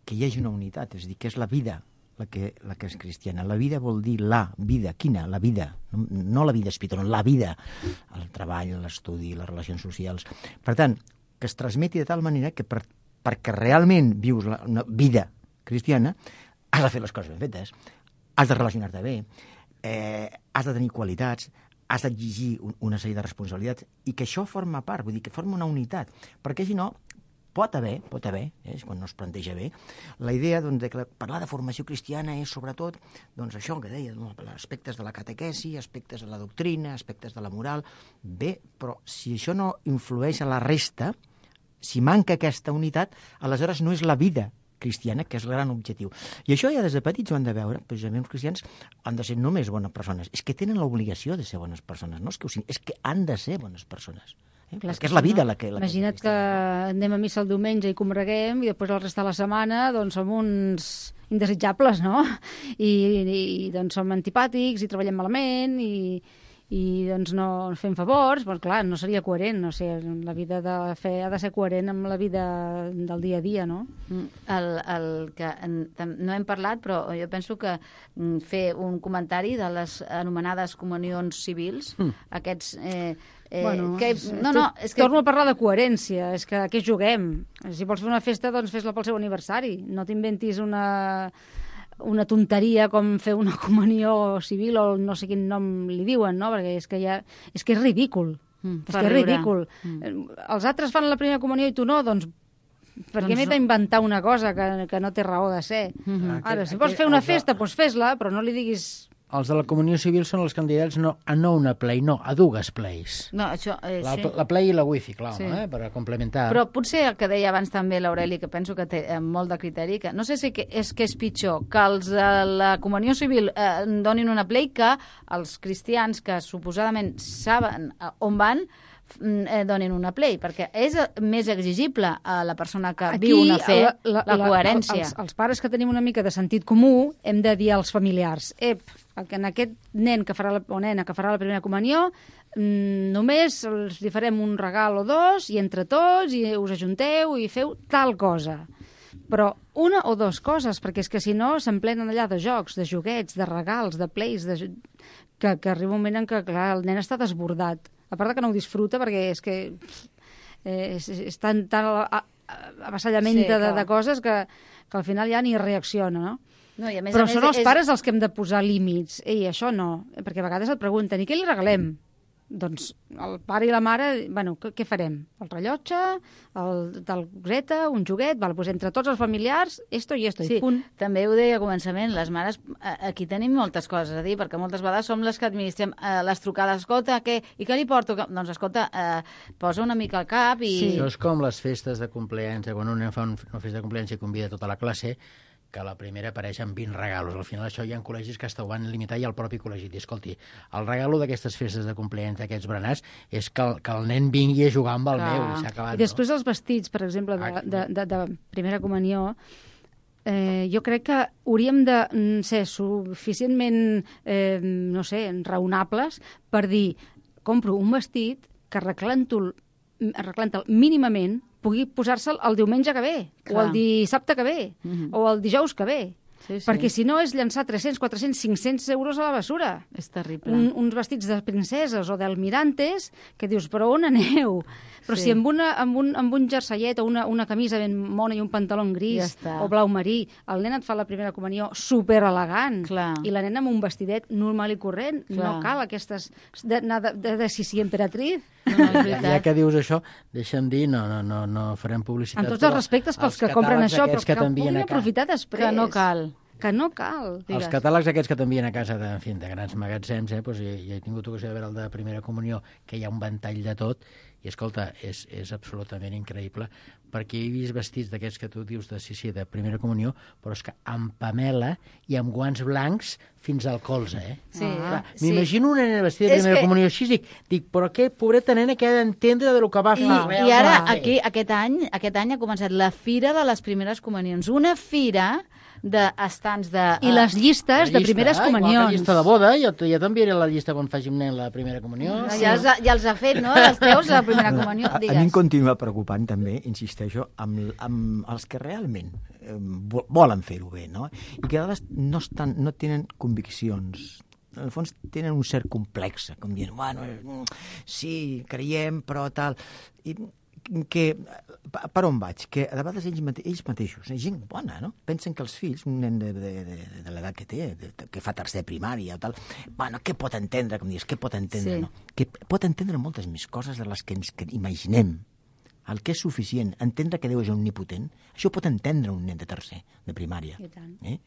que hi hagi una unitat, és a dir, que és la vida la que, la que és cristiana. La vida vol dir la vida. Quina? La vida. No, no la vida espiritual, la vida. El treball, l'estudi, les relacions socials. Per tant, que es transmeti de tal manera que per perquè realment vius la, una vida cristiana, has de fer les coses ben fetes, has de relacionar-te bé, eh, has de tenir qualitats, has d'exigir un, una sèrie de responsabilitats, i que això forma part, vull dir, que forma una unitat, perquè si no, pot haver, pot haver, eh, quan no es planteja bé, la idea doncs, de que parlar de formació cristiana és sobretot doncs, això que deia, no? Aspectes de la catequesi, aspectes de la doctrina, aspectes de la moral. Bé, però si això no influeix a la resta, si manca aquesta unitat, aleshores no és la vida cristiana, que és el gran objectiu. I això ja des de petits ho han de veure, precisament els cristians han de ser només bones persones, és que tenen l'obligació de ser bones persones, no és que ho siguin, és que han de ser bones persones. Eh? Clar, Perquè és la vida la que... La Imagina't que, que anem a missa el diumenge i combreguem i després el resta de la setmana doncs som uns indesitjables, no? I, i doncs som antipàtics i treballem malament i, i doncs no fem favors, doncs clar, no seria coherent, no sé, la vida de la fe ha de ser coherent amb la vida del dia a dia, no? El, el que en, no hem parlat, però jo penso que fer un comentari de les anomenades comunions civils, mm. aquests... Eh, Eh, bueno, que, no, no, és que... Torno a parlar de coherència, és que a què juguem? Si vols fer una festa, doncs fes-la pel seu aniversari. No t'inventis una, una tonteria com fer una comunió civil o no sé quin nom li diuen, no? Perquè és que, ja, és, que és ridícul. Mm, és que és ridícul. Mm. Els altres fan la primera comunió i tu no, doncs per què doncs... m'he d'inventar una cosa que, que no té raó de ser? Mm-hmm. Ara, si vols fer una festa, doncs fes-la, però no li diguis... Els de la comunió civil són els candidats no, a no una play, no, a dues plays. No, això, eh, la, sí. la play i la wifi, clar, sí. eh, per complementar. Però potser el que deia abans també l'Aureli, que penso que té eh, molt de criteri, que no sé si que és que és pitjor que els de la comunió civil eh, donin una play que els cristians que suposadament saben eh, on van eh, donin una play, perquè és més exigible a la persona que Aquí, viu una fe, la, la, la, la coherència. Els, els pares que tenim una mica de sentit comú hem de dir als familiars, ep, que en aquest nen que farà la, o nena que farà la primera comunió mmm, només els li farem un regal o dos i entre tots i us ajunteu i feu tal cosa. Però una o dues coses, perquè és que si no s'emplenen allà de jocs, de joguets, de regals, de plays, de... Que, que arriba un moment en què clar, el nen està desbordat. A part que no ho disfruta perquè és que eh, és, és tan, tan avasallament sí, de, de coses que, que al final ja ni reacciona, no? No, i a més Però a més són els és... pares els que hem de posar límits. Ei, això no, perquè a vegades et pregunten, i què li regalem? Doncs el pare i la mare, bueno, què, què farem? El rellotge, el, tal coseta, un joguet, val, doncs entre tots els familiars, esto i esto, sí, i punt. També ho deia a començament, les mares, aquí tenim moltes coses a dir, perquè moltes vegades som les que administrem eh, les trucades, escolta, què, i què li porto? Doncs escolta, eh, posa una mica al cap i... Sí. Això és com les festes de compleanys, quan un nen fa un, una festa de compleanys i convida tota la classe, que la primera apareix amb vint regalos. Al final això hi ha col·legis que hasta ho van limitar i el propi col·legi diu, escolti, el regalo d'aquestes festes de compleanys d'aquests berenats és que el, que el nen vingui a jugar amb el Clar. meu i s'ha acabat. I després no? els vestits, per exemple, de, Ah, de, de, de primera comunió, eh, jo crec que hauríem de mm, ser suficientment, eh, no sé, raonables per dir, compro un vestit que arreglant-lo arreglant-lo mínimament pugui posar-se'l el diumenge que ve, Clar. o el dissabte que ve, Mm-hmm. o el dijous que ve. Sí, sí. Perquè si no és llançar tres-cents, quatre-cents, cinc-cents euros a la bessura. És terrible. Un, uns vestits de princeses o d'almirantes que dius, però on aneu? Però Sí. si amb, una, amb, un, amb un jerseillet o una, una camisa ben mona i un pantaló Ja gris està. o blau marí, el nen et fa la primera comunió super elegant Clar. i la nena amb un vestidet normal i corrent. Clar. No cal aquestes de, de, de, de, de Sissi Emperatriz. No, no, és Ja, veritat. ja que dius això, deixa'm dir, no, no, no, no farem publicitat. Amb tots els respectes pels que compren això, però que, que que ho t'envien puguin a casa. aprofitar després. Que no cal. Que no cal. Digues. Els catàlegs aquests que t'envien a casa de, en fi, de grans magatzems, eh, doncs, ja, ja he tingut ocasió de veure el de primera comunió, que hi ha un ventall de tot, i escolta, és, és absolutament increïble, perquè he vist vestits d'aquests que tu dius de, sí, sí, de primera comunió, però és que amb pamela i amb guants blancs fins al colze, eh? Sí, Clar, sí. m'imagino una nena vestida de És primera que- comunió així, dic, dic, però què pobreta nena que ha d'entendre de lo que va I, fer. I ara, va fer. aquí, aquest any, aquest any ha començat la Fira de les Primeres Comunions. Una fira d'estants de... I les llistes La de llista, primeres eh? Igual que comunions. la llista de boda, ja, ja t'enviaré la llista quan faci un nen la primera comunió. No, ja, els ha, ja els ha fet, no? Els teus, la primera comunió. A, a mi em Digues. continua preocupant també, insisteixo, amb, amb els que realment eh, vo- volen fer-ho bé, no? I que a vegades no, estan, no tenen conviccions. En el fons tenen un cert complex, com dient, bueno, eh, sí, creiem, però tal... I que, per on vaig? Que a vegades ells, mate ells mateixos, gent bona, no? Pensen que els fills, un nen de, de, de, de l'edat que té, de, de, que fa tercer primària o tal, bueno, què pot entendre, com dius, què pot entendre, Sí. no? Que pot entendre moltes més coses de les que ens que imaginem. el que és suficient, entendre que Déu és omnipotent, això ho pot entendre un nen de tercer, de primària. I tant. Eh?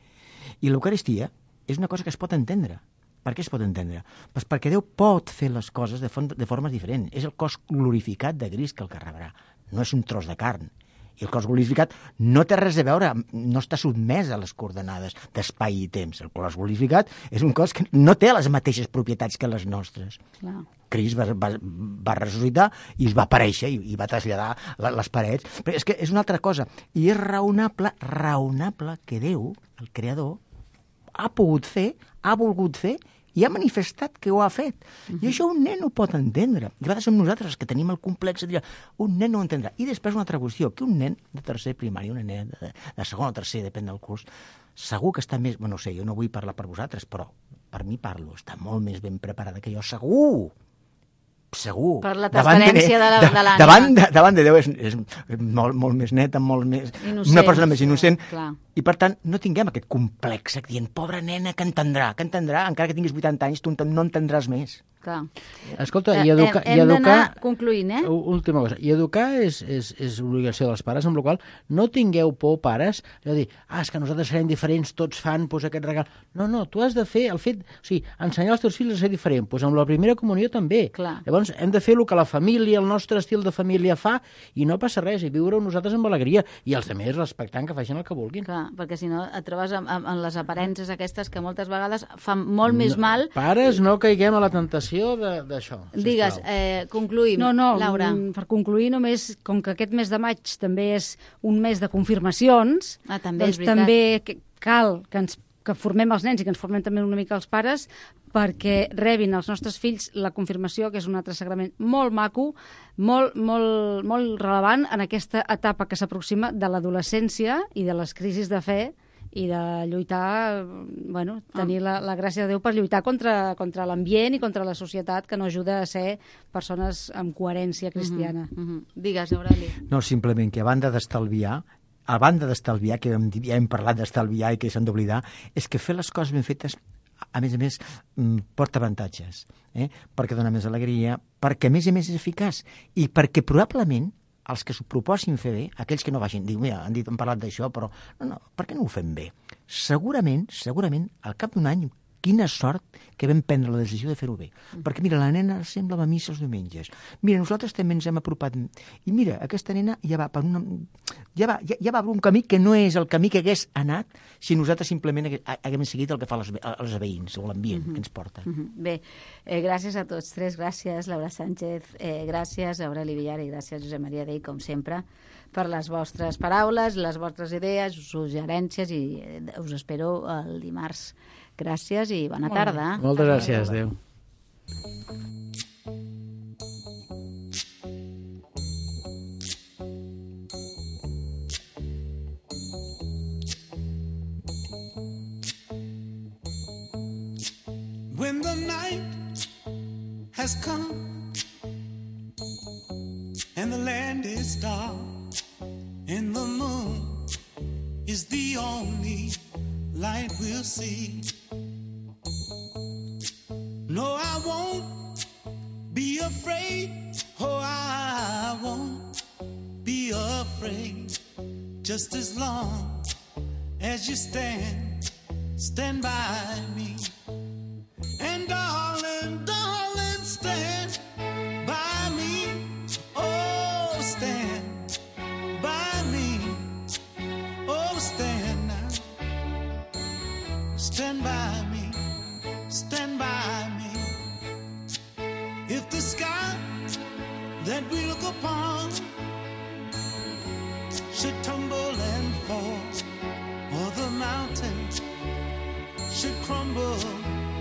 I l'Eucaristia és una cosa que es pot entendre. Per què es pot entendre? Pues perquè Déu pot fer les coses de, font, de formes diferents. És el cos glorificat de Crist que el que rebrà. No és un tros de carn. I el cos glorificat no té res a veure, no està sotmès a les coordenades d'espai i temps. El cos glorificat és un cos que no té les mateixes propietats que les nostres. Clar. Crist va, va, va ressuscitar i es va aparèixer i, i va traslladar la, les parets. Però és que és una altra cosa. I és raonable, raonable que Déu, el creador, ha pogut fer, ha volgut fer i ha manifestat que ho ha fet. Uh-huh. I això un nen ho pot entendre. I a vegades som nosaltres els que tenim el complex de dir un nen no ho entendrà. I després una altra qüestió, que un nen de tercer primari, una nena de, de segon o tercer, depèn del curs, segur que està més... Bueno, no sé, jo no vull parlar per vosaltres, però per mi parlo, està molt més ben preparada que jo, segur! Segur. Per la transparència de, de, de l'ànima. Davant de, davant de Déu és, és molt, molt més neta, molt més... Innocent, una persona més innocent. Clar. I, per tant, no tinguem aquest complex dient, pobra nena, que entendrà, que entendrà, encara que tinguis vuitanta anys, tu no entendràs més. Clar. Escolta, i educar... Hem, hem i educar... d'anar concluint, eh? Última cosa. I educar és, és, és obligació dels pares, amb la qual no tingueu por, pares, de dir, ah, és que nosaltres serem diferents, tots fan pues, aquest regal. No, no, tu has de fer el fet... O sigui, ensenyar als teus fills a ser diferent. Pues amb la primera comunió també. Clar. Llavors hem de fer el que la família, el nostre estil de família fa, i no passa res, i viure-ho nosaltres amb alegria, i els altres respectant que facin el que vulguin. Clar, perquè si no et trobes amb, amb, amb les aparences aquestes que moltes vegades fan molt més no, mal. Pares, no caiguem a la tentació d'això. Digues, eh, concluïm, no, no, Laura. Per concluir només, com que aquest mes de maig també és un mes de confirmacions, Ah, també, doncs és veritat. també que- cal que, ens, que formem els nens i que ens formem també una mica els pares perquè rebin els nostres fills la confirmació, que és un altre sagrament molt maco, molt, molt, molt relevant en aquesta etapa que s'aproxima de l'adolescència i de les crisis de fe i de lluitar, bueno, tenir la, la gràcia de Déu per lluitar contra, contra l'ambient i contra la societat que no ajuda a ser persones amb coherència cristiana. Uh -huh, uh -huh. Digues, Aureli. No, simplement que a banda d'estalviar, a banda d'estalviar, que hem, ja hem parlat d'estalviar i que s'han d'oblidar, és que fer les coses ben fetes, a més a més, porta avantatges, eh? Perquè dona més alegria, perquè a més a més és eficaç i perquè probablement els que s'ho proposin fer bé, aquells que no vagin, diu, mira, han dit, han parlat d'això, però no, no, per què no ho fem bé? Segurament, segurament, al cap d'un any, quina sort que vam prendre la decisió de fer-ho bé. Mm. Perquè, mira, la nena sempre va a missa els diumenges. Mira, nosaltres també ens hem apropat. I mira, aquesta nena ja va per una... Ja va, ja, ja va per un camí que no és el camí que hagués anat si nosaltres simplement haguem seguit el que fa les, els veïns o l'ambient mm-hmm. que ens porta. Mm-hmm. Bé, eh, gràcies a tots tres. Gràcies, Laura Sánchez. Eh, gràcies, Aureli Villar, i gràcies, Josep Maria Dei, com sempre, per les vostres paraules, les vostres idees, suggerències, i eh, us espero el dimarts. Gràcies i bona tarda. Moltes gràcies, adéu. When the night has come and the land is dark and the moon is the only light we'll see. No, I won't be afraid. Oh, I won't be afraid. Just as long as you stand, stand by me. And darling, darling, stand by me. Oh, stand by me. Oh, stand now. Stand by me. Stand by me. If the sky that we look upon should tumble and fall, or the mountains should crumble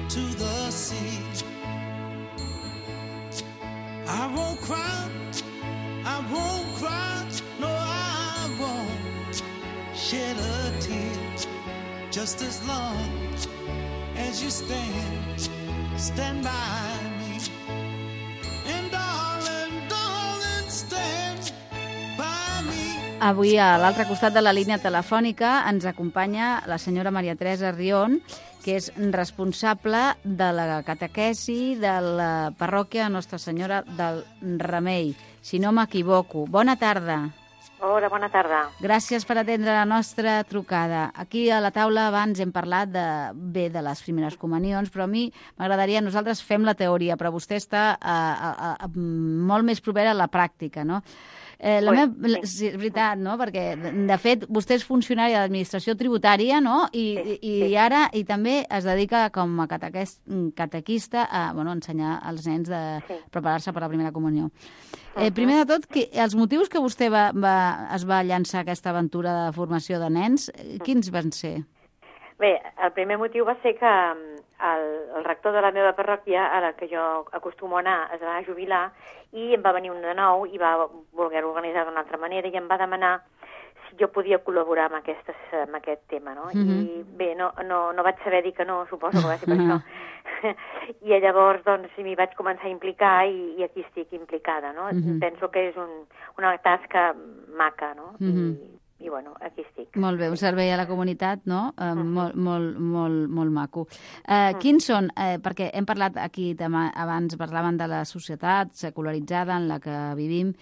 to the sea, I won't cry, I won't cry, no, I won't shed a tear, just as long as you stand, stand by me. And darling, darling, stand by me. Avui a l'altre costat de la línia telefònica ens acompanya la senyora Maria Teresa Rion, que és responsable de la catequesi de la parròquia Nostra Senyora del Remei, si no m'equivoco. Bona tarda. Hola, bona tarda. Gràcies per atendre la nostra trucada. Aquí a la taula abans hem parlat de, bé de les primeres comunions, però a mi m'agradaria, nosaltres fem la teoria, però vostè està a, a, a, molt més propera a la pràctica, no? Eh, la Ui, meva, sí. sí, és veritat, no? Perquè, de fet, vostè és funcionari de l'administració tributària, no? I, Sí, i, sí. i ara i també es dedica com a catequès, catequista a bueno, ensenyar als nens de Sí. preparar-se per la primera comunió. Eh, primer de tot, que, els motius que vostè va, va, es va llançar a aquesta aventura de formació de nens, eh, quins van ser? Bé, el primer motiu va ser que mm, el, el rector de la meva parròquia, a la que jo acostumo a anar, es va jubilar i em va venir un de nou i va voler organitzar d'una altra manera i em va demanar si jo podia col·laborar amb, aquestes, amb aquest tema, no? Mhm. I bé, no, no, no vaig saber dir que no, suposo que va ser per això. I llavors, doncs, m'hi vaig començar a implicar i, i aquí estic implicada, no? Mhm. Penso que és un, una tasca maca, no? Mhm. I, i bueno, aquí estic. Molt bé, un servei a la comunitat, no? Eh, molt, molt, molt, molt maco. Eh, quins són, eh, perquè hem parlat aquí demà, abans parlaven de la societat secularitzada en la que vivim.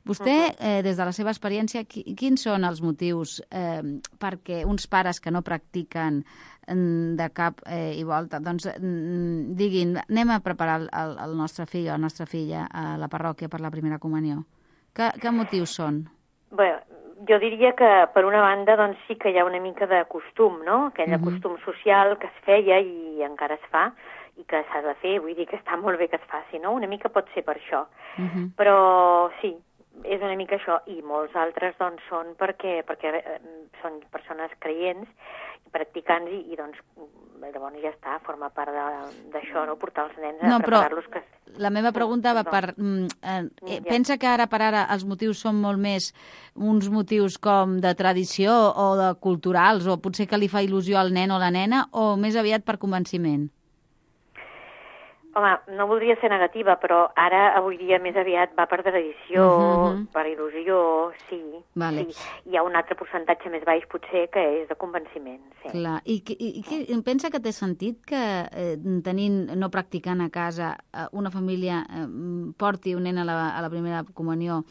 Vostè, eh, des de la seva experiència, qui, quins són els motius eh, perquè uns pares que no practiquen mm, de cap eh, i volta, doncs mm, diguin, anem a preparar el, el, el nostre fill o la nostra filla a la parròquia per la primera comunió? Que, que motius són? Bé, jo diria que, per una banda, doncs sí que hi ha una mica de costum, no? Aquell Mhm. costum social que es feia i encara es fa i que s'ha de fer, vull dir que està molt bé que es faci, no? Una mica pot ser per això. Mhm. Però sí, és una mica això, i molts altres doncs són perquè, perquè eh, són persones creients, practicants, i, i doncs llavors ja està, forma part de- d'això, no? Portar els nens a No, però preparar-los que... la meva pregunta va Perdó. per... mm, eh, eh, Ja. Pensa que ara per ara els motius són molt més uns motius com de tradició o de culturals, o potser que li fa il·lusió al nen o la nena, o més aviat per convenciment? Home, no voldria ser negativa, però ara, avui dia, més aviat va per tradició, Mhm. per il·lusió, sí. Vale. sí. Hi ha un altre percentatge més baix, potser, que és de convenciment, sí. Clar. I, que- i, i que, pensa que té sentit que eh, tenint, no practicant a casa, eh, una família eh, porti un nen a la, a la primera comunió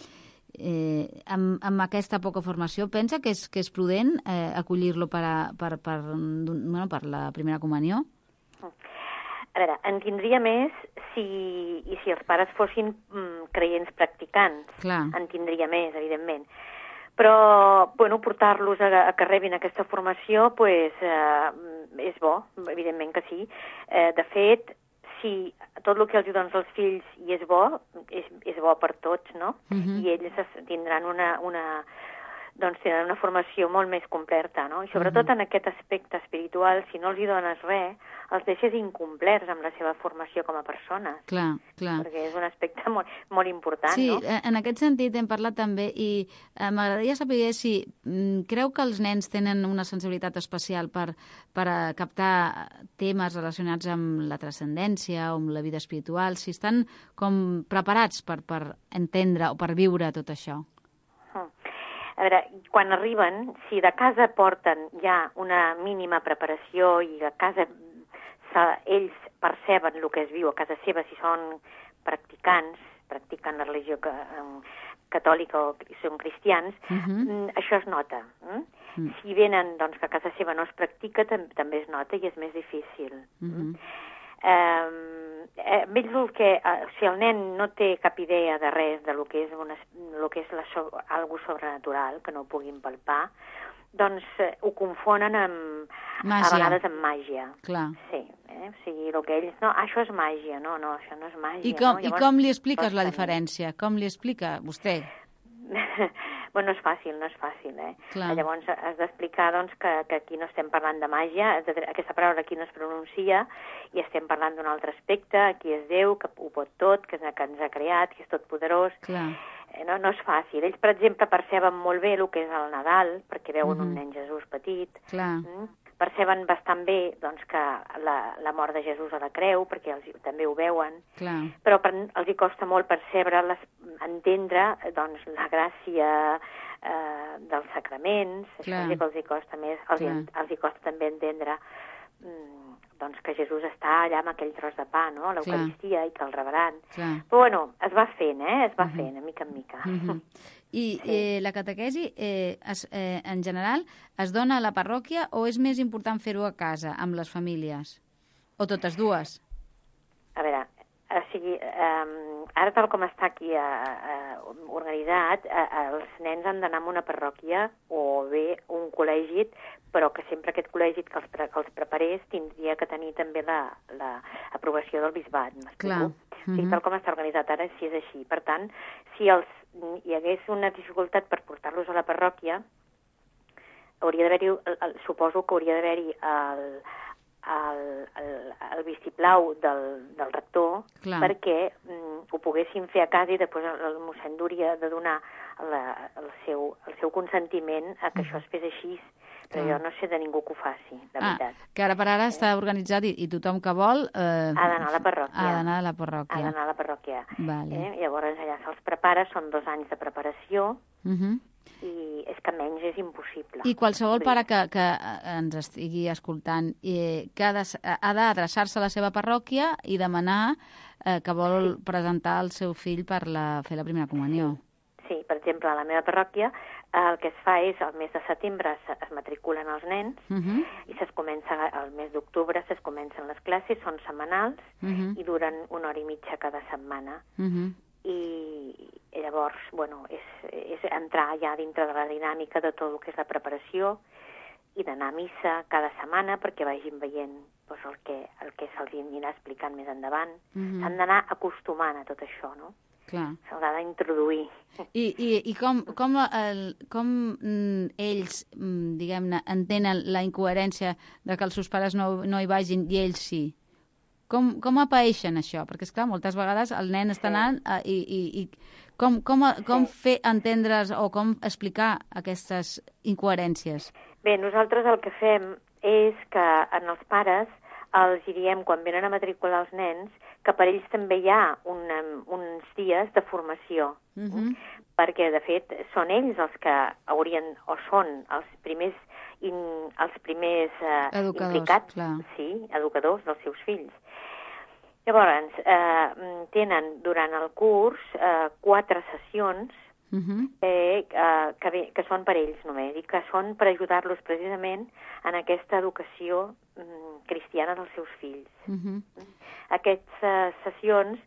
eh, amb, amb aquesta poca formació? Pensa que és, que és prudent eh, acollir-lo per, a, per, per, bueno, per la primera comunió? A veure, en tindria més si, i si els pares fossin mm, creients practicants. Clar. En tindria més, evidentment. Però, bueno, portar-los a, a que rebin aquesta formació, pues, eh, és bo, evidentment que sí. Eh, de fet, si tot el que els dones als fills i és bo, és, és bo per tots, no? Mhm. I ells es- tindran una, una, doncs tindran una formació molt més completa, no? I sobretot en aquest aspecte espiritual, si no els hi dones res, els deixes incomplerts amb la seva formació com a persones, Clar, clar. perquè és un aspecte molt, molt important, Sí, no? eh, en aquest sentit hem parlat també i eh, m'agradaria saber si mm, creu que els nens tenen una sensibilitat especial per, per a captar temes relacionats amb la transcendència o amb la vida espiritual, si estan com preparats per, per entendre o per viure tot això. A veure, quan arriben, si de casa porten ja una mínima preparació i a casa se, ells perceben el que es viu a casa seva, si són practicants, practiquen la religió que, um, catòlica o són cristians, Mhm. mm, això es nota. Mm? Mm. Si venen doncs, que a casa seva no es practica, tam també es nota i és més difícil. Mhm. Eh, eh, ells el que, eh, si el nen no té cap idea de res de lo que és, una, lo que és la so, algo sobrenatural, que no ho puguin palpar, doncs eh, ho confonen amb, Màgia. a vegades amb màgia. Clar. Sí, eh? O sigui, el que ells... No, ah, això és màgia, no, no, això no és màgia. I com, no? i com li expliques la costa diferència? Com li explica vostè? Bueno, no és fàcil, no és fàcil, eh? Clar. Llavors has d'explicar, doncs, que, que aquí no estem parlant de màgia, de, aquesta paraula aquí no es pronuncia, i estem parlant d'un altre aspecte, aquí és Déu, que ho pot tot, que, que ens ha creat, que és tot poderós. Clar. Eh, No, no és fàcil. Ells, per exemple, perceben molt bé el que és el Nadal, perquè veuen Mhm. un nen Jesús petit. Clar. Mm? Perceben bastant bé doncs, que la, la mort de Jesús a la creu, perquè els, també ho veuen, Clar. però per, els hi costa molt percebre, les, entendre doncs, la gràcia eh, dels sacraments, Clar. això sí que els hi costa més, els, hi, Clar. els hi costa també entendre doncs que Jesús està allà amb aquell tros de pa, no?, a l'Eucaristia, i que el rebran. Clar. Però, bueno, es va fent, eh?, es va fent, de mica en mica. Uh-huh. I sí. eh, la catequesi, eh, es, eh, en general, es dona a la parròquia o és més important fer-ho a casa, amb les famílies? O totes dues? A veure, o sigui, eh, ara tal com està aquí eh, eh, organitzat, eh, els nens han d'anar a una parròquia o bé un col·legi, però que sempre aquest col·legi que els, pre que els preparés tindria que tenir també l'aprovació la, del bisbat, m'explico? O sigui, tal com està organitzat ara, si és així. Per tant, si els, hi hagués una dificultat per portar-los a la parròquia, hauria d'haver-hi, suposo que hauria d'haver-hi el, el, el, el vistiplau del, del rector, clar, perquè mm, ho poguessin fer a casa i després el, el mossèn hauria de donar la, el, seu, el seu consentiment a que mm. això es fes així. Però jo no sé de ningú que ho faci, de ah, veritat. Que ara per ara eh? està organitzat i, i tothom que vol... Eh, ha d'anar a la parròquia. Ha d'anar a la parròquia. Ha d'anar a la parròquia. Vale. Eh? Llavors allà se'ls prepara, són dos anys de preparació, uh -huh. i és que menys és impossible. I qualsevol pare que, que ens estigui escoltant eh, que ha d'adreçar-se a la seva parròquia i demanar eh, que vol sí. presentar el seu fill per la, fer la primera comunió. Sí. sí, per exemple, a la meva parròquia el que es fa és, al mes de setembre es, es matriculen els nens uh -huh. i es comença, al mes d'octubre es comencen les classes, són setmanals uh -huh. i duren una hora i mitja cada setmana. Uh -huh. I llavors, bueno, és, és entrar ja dintre de la dinàmica de tot el que és la preparació i d'anar a missa cada setmana perquè vagin veient doncs, el que, el que se'ls anirà explicant més endavant. Uh -huh. S'han d'anar acostumant a tot això, no? S'haurà d'introduir. I, i, i com, com, el, com mm, ells, mm, diguem-ne, entenen la incoherència de que els seus pares no, no hi vagin i ells sí? Com, com apaeixen això? Perquè, esclar, moltes vegades el nen està anant sí. i, i, i com, com, com sí. fer entendre's o com explicar aquestes incoherències? Bé, nosaltres el que fem és que en els pares els diem, quan venen a matricular els nens, que per ells també hi ha una, uns dies de formació. Uh -huh. Perquè, de fet, són ells els que haurien, o són els primers, in, els primers eh, implicats, clar. Sí, educadors dels seus fills. Llavors, eh, tenen durant el curs eh, quatre sessions uh -huh. eh, eh, que, bé, que són per ells només, i que són per ajudar-los precisament en aquesta educació mm, cristiana dels seus fills. Uh -huh. Aquestes eh, sessions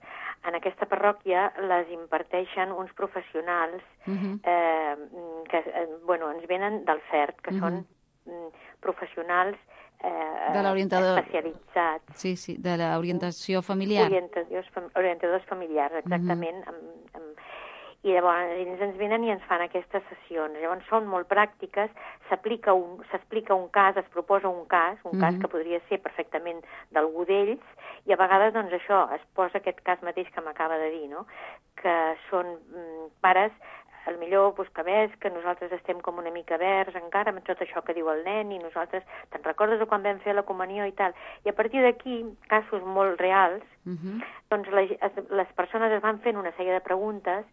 en aquesta parròquia les imparteixen uns professionals uh -huh. eh, que eh, bueno, ens venen del F E R T, que uh -huh. són mm, professionals eh, de l'orientador especialitzats. Sí, sí, de l'orientació familiar. Orientadors, orientadors familiars, exactament. Uh -huh. amb, amb, I llavors ells ens venen i ens fan aquestes sessions. Llavors són molt pràctiques, s'aplica un, s'explica un cas, es proposa un cas, un uh-huh. cas que podria ser perfectament d'algú d'ells, i a vegades, doncs, això, es posa aquest cas mateix que m'acaba de dir, no?, que són mm, pares, al millor doncs, que ves que nosaltres estem com una mica verds encara amb tot això que diu el nen, i nosaltres, te'n recordes de quan vam fer la comunió i tal? I a partir d'aquí, casos molt reals, uh-huh. doncs les, les persones es van fent una sèrie de preguntes.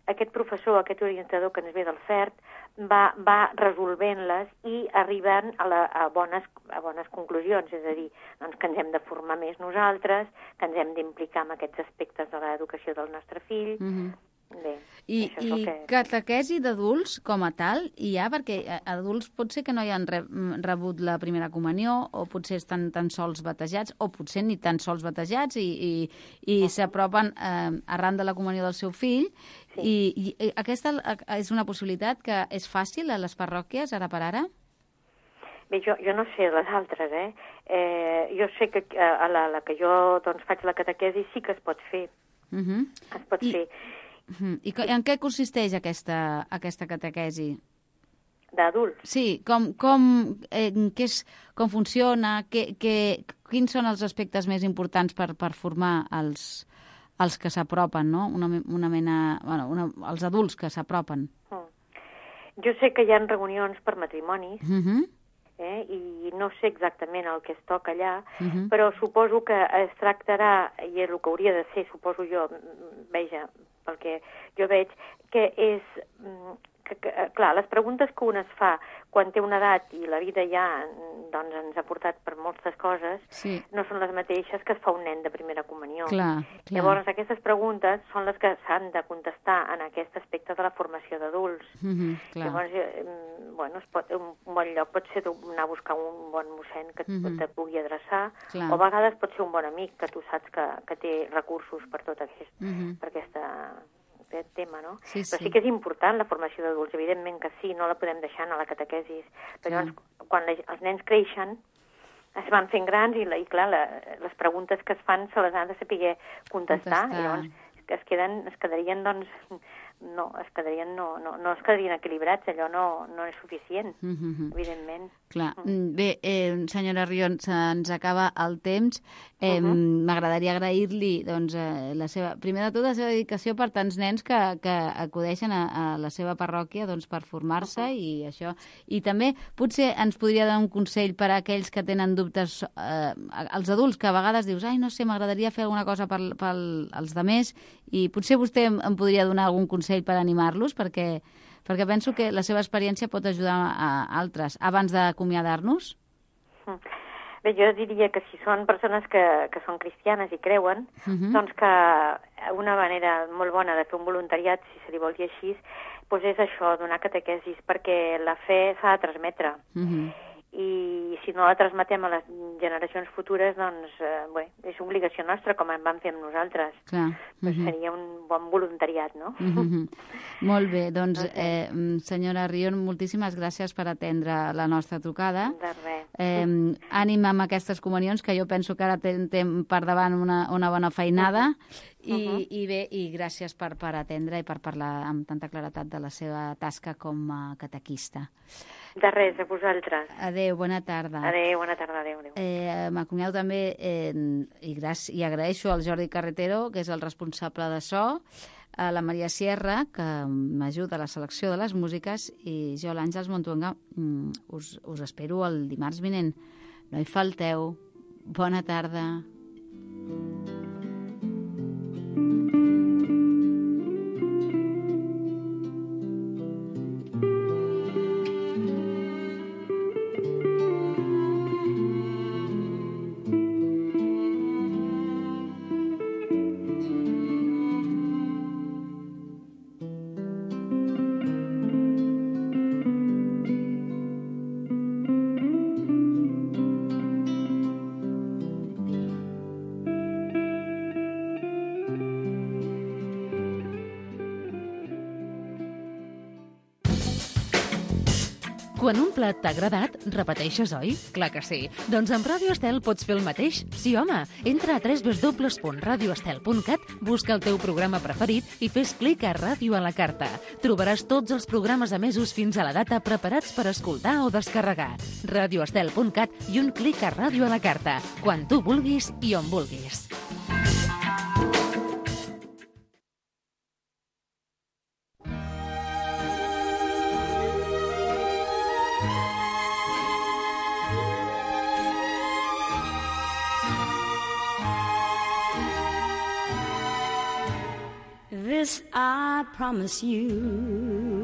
Aquest professor, aquest orientador que ens ve del F E R T, va, va resolvent-les i arribant a, la, a, bones, a bones conclusions, és a dir, doncs, que ens hem de formar més nosaltres, que ens hem d'implicar en aquests aspectes de l'educació del nostre fill. Mm-hmm. Bé, I i que... catequesi d'adults com a tal hi ha? Perquè adults pot ser que no hi han re, rebut la primera comunió, o potser estan tan sols batejats, o potser ni tan sols batejats, i, i, i uh-huh. s'apropen eh, arran de la comunió del seu fill. Sí. I, I aquesta és una possibilitat que és fàcil a les parròquies, ara per ara? Bé, jo, jo no sé les altres, eh? eh jo sé que a la, la que jo doncs, faig la catequesi sí que es pot fer. Uh-huh. Es pot I... fer. Uh-huh. I en què consisteix aquesta, aquesta catequesi? D'adults? Sí, com, com, eh, què és, com funciona, que, que, quins són els aspectes més importants per, per formar els, els que s'apropen, no? Una, una mena, bueno, una, els adults que s'apropen. Mm. Jo sé que hi ha reunions per matrimonis, uh-huh. eh, i no sé exactament el que es toca allà, uh-huh. però suposo que es tractarà, i és el que hauria de ser, suposo jo, veja, pel que jo veig, que és que, que, clar, les preguntes que un es fa quan té una edat i la vida ja doncs, ens ha portat per moltes coses, sí. no són les mateixes que es fa un nen de primera comunió. Clar, clar. Llavors, aquestes preguntes són les que s'han de contestar en aquest aspecte de la formació d'adults. Mm-hmm, clar. Llavors, eh, bueno, es pot, un bon lloc pot ser anar a buscar un bon mossèn que mm-hmm. te pugui adreçar, clar. o a vegades pot ser un bon amic que tu saps que, que té recursos per tot aquest, mm-hmm. per aquesta, aquest tema, no? Sí, Però sí. sí que és important la formació d'adults, evidentment que sí, no la podem deixar a la catequesis. Però llavors, quan la, els nens creixen, es van fent grans i, la, i clar, la, les preguntes que es fan se les han de saber contestar, contestar. I llavors es, queden, es quedarien, doncs, no, es quedarien, no, no, no es quedarien equilibrats, allò no, no és suficient, mm-hmm. evidentment. Clar. Mm. Bé, eh, senyora Rion, se'ns acaba el temps. Eh, uh-huh. M'agradaria agrair-li, doncs, eh, la seva, primer de tot, la seva dedicació per tants nens que, que acudeixen a, a la seva parròquia doncs, per formar-se uh-huh. i això. I també, potser ens podria dar un consell per a aquells que tenen dubtes, eh, als adults, que a vegades dius, ai, no sé, m'agradaria fer alguna cosa per, per als demés, i potser vostè em, em podria donar algun consell per animar-los, perquè perquè penso que la seva experiència pot ajudar a altres. Abans d'acomiadar-nos? Bé, jo diria que si són persones que, que són cristianes i creuen, uh-huh. doncs que una manera molt bona de fer un voluntariat, si se li vol dir així, doncs és això, donar catequesis, perquè la fe s'ha de transmetre. Uh-huh. I si no la transmetem a les generacions futures, doncs, eh, bé, és obligació nostra, com en vam fer amb nosaltres. Clar. Pues uh-huh. seria un bon voluntariat, no? Uh-huh. Molt bé, doncs, eh, senyora Rion, moltíssimes gràcies per atendre la nostra trucada. De res. Eh, ànim amb aquestes comunions, que jo penso que ara tem per davant una, una bona feinada, uh-huh. I, uh-huh. i bé, i gràcies per, per atendre i per parlar amb tanta claretat de la seva tasca com a catequista. De res, a vosaltres. Adéu, bona tarda. Adéu, bona tarda, adéu. adéu. Eh, M'acomiado també eh, i, gràcies, i agraeixo al Jordi Carretero, que és el responsable de so, a la Maria Sierra, que m'ajuda a la selecció de les músiques, i jo, l'Àngels Montuenga, us, us espero el dimarts vinent. No hi falteu. Bona tarda. Quan un plat t'ha agradat, repeteixes, oi? Clar que sí. Doncs amb Ràdio Estel pots fer el mateix. Sí, home. Entra a w w w punt radio estel punt cat, busca el teu programa preferit i fes clic a Ràdio a la carta. Trobaràs tots els programes emesos fins a la data preparats per escoltar o descarregar. radio estel punt cat i un clic a Ràdio a la carta. Quan tu vulguis i on vulguis. This I promise you,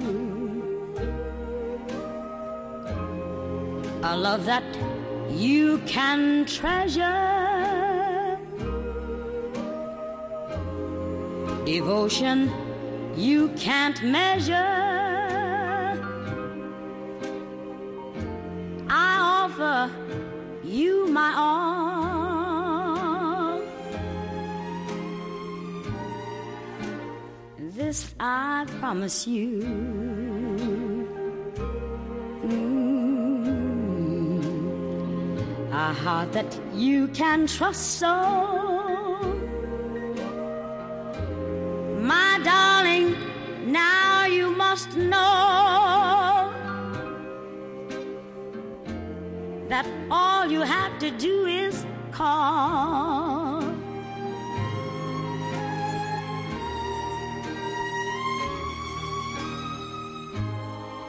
a love that you can treasure, devotion you can't measure. I offer you my all. This I promise you. Mm. A heart that you can trust so. My darling, now you must know that all you have to do is call.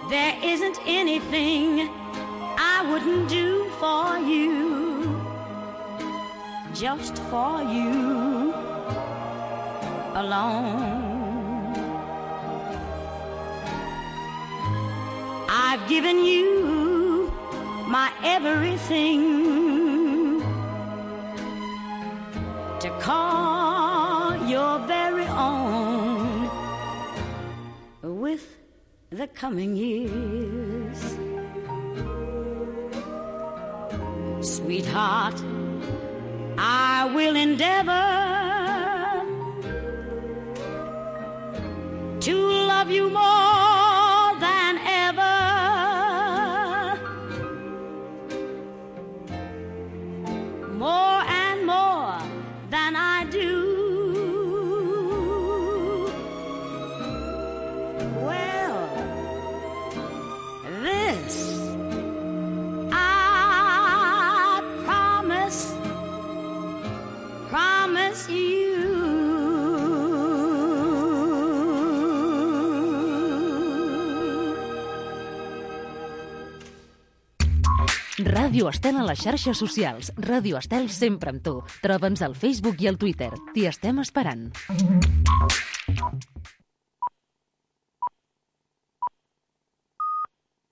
There isn't anything I wouldn't do for you, just for you alone. given you my everything to call your very own with the coming years. Sweetheart, I will endeavor to love you more than ever. More and more than I do. Well, this I promise, promise you. Ràdio Estel a les xarxes socials. Ràdio Estel sempre amb tu. Troba'ns al Facebook i al Twitter. T'hi estem esperant.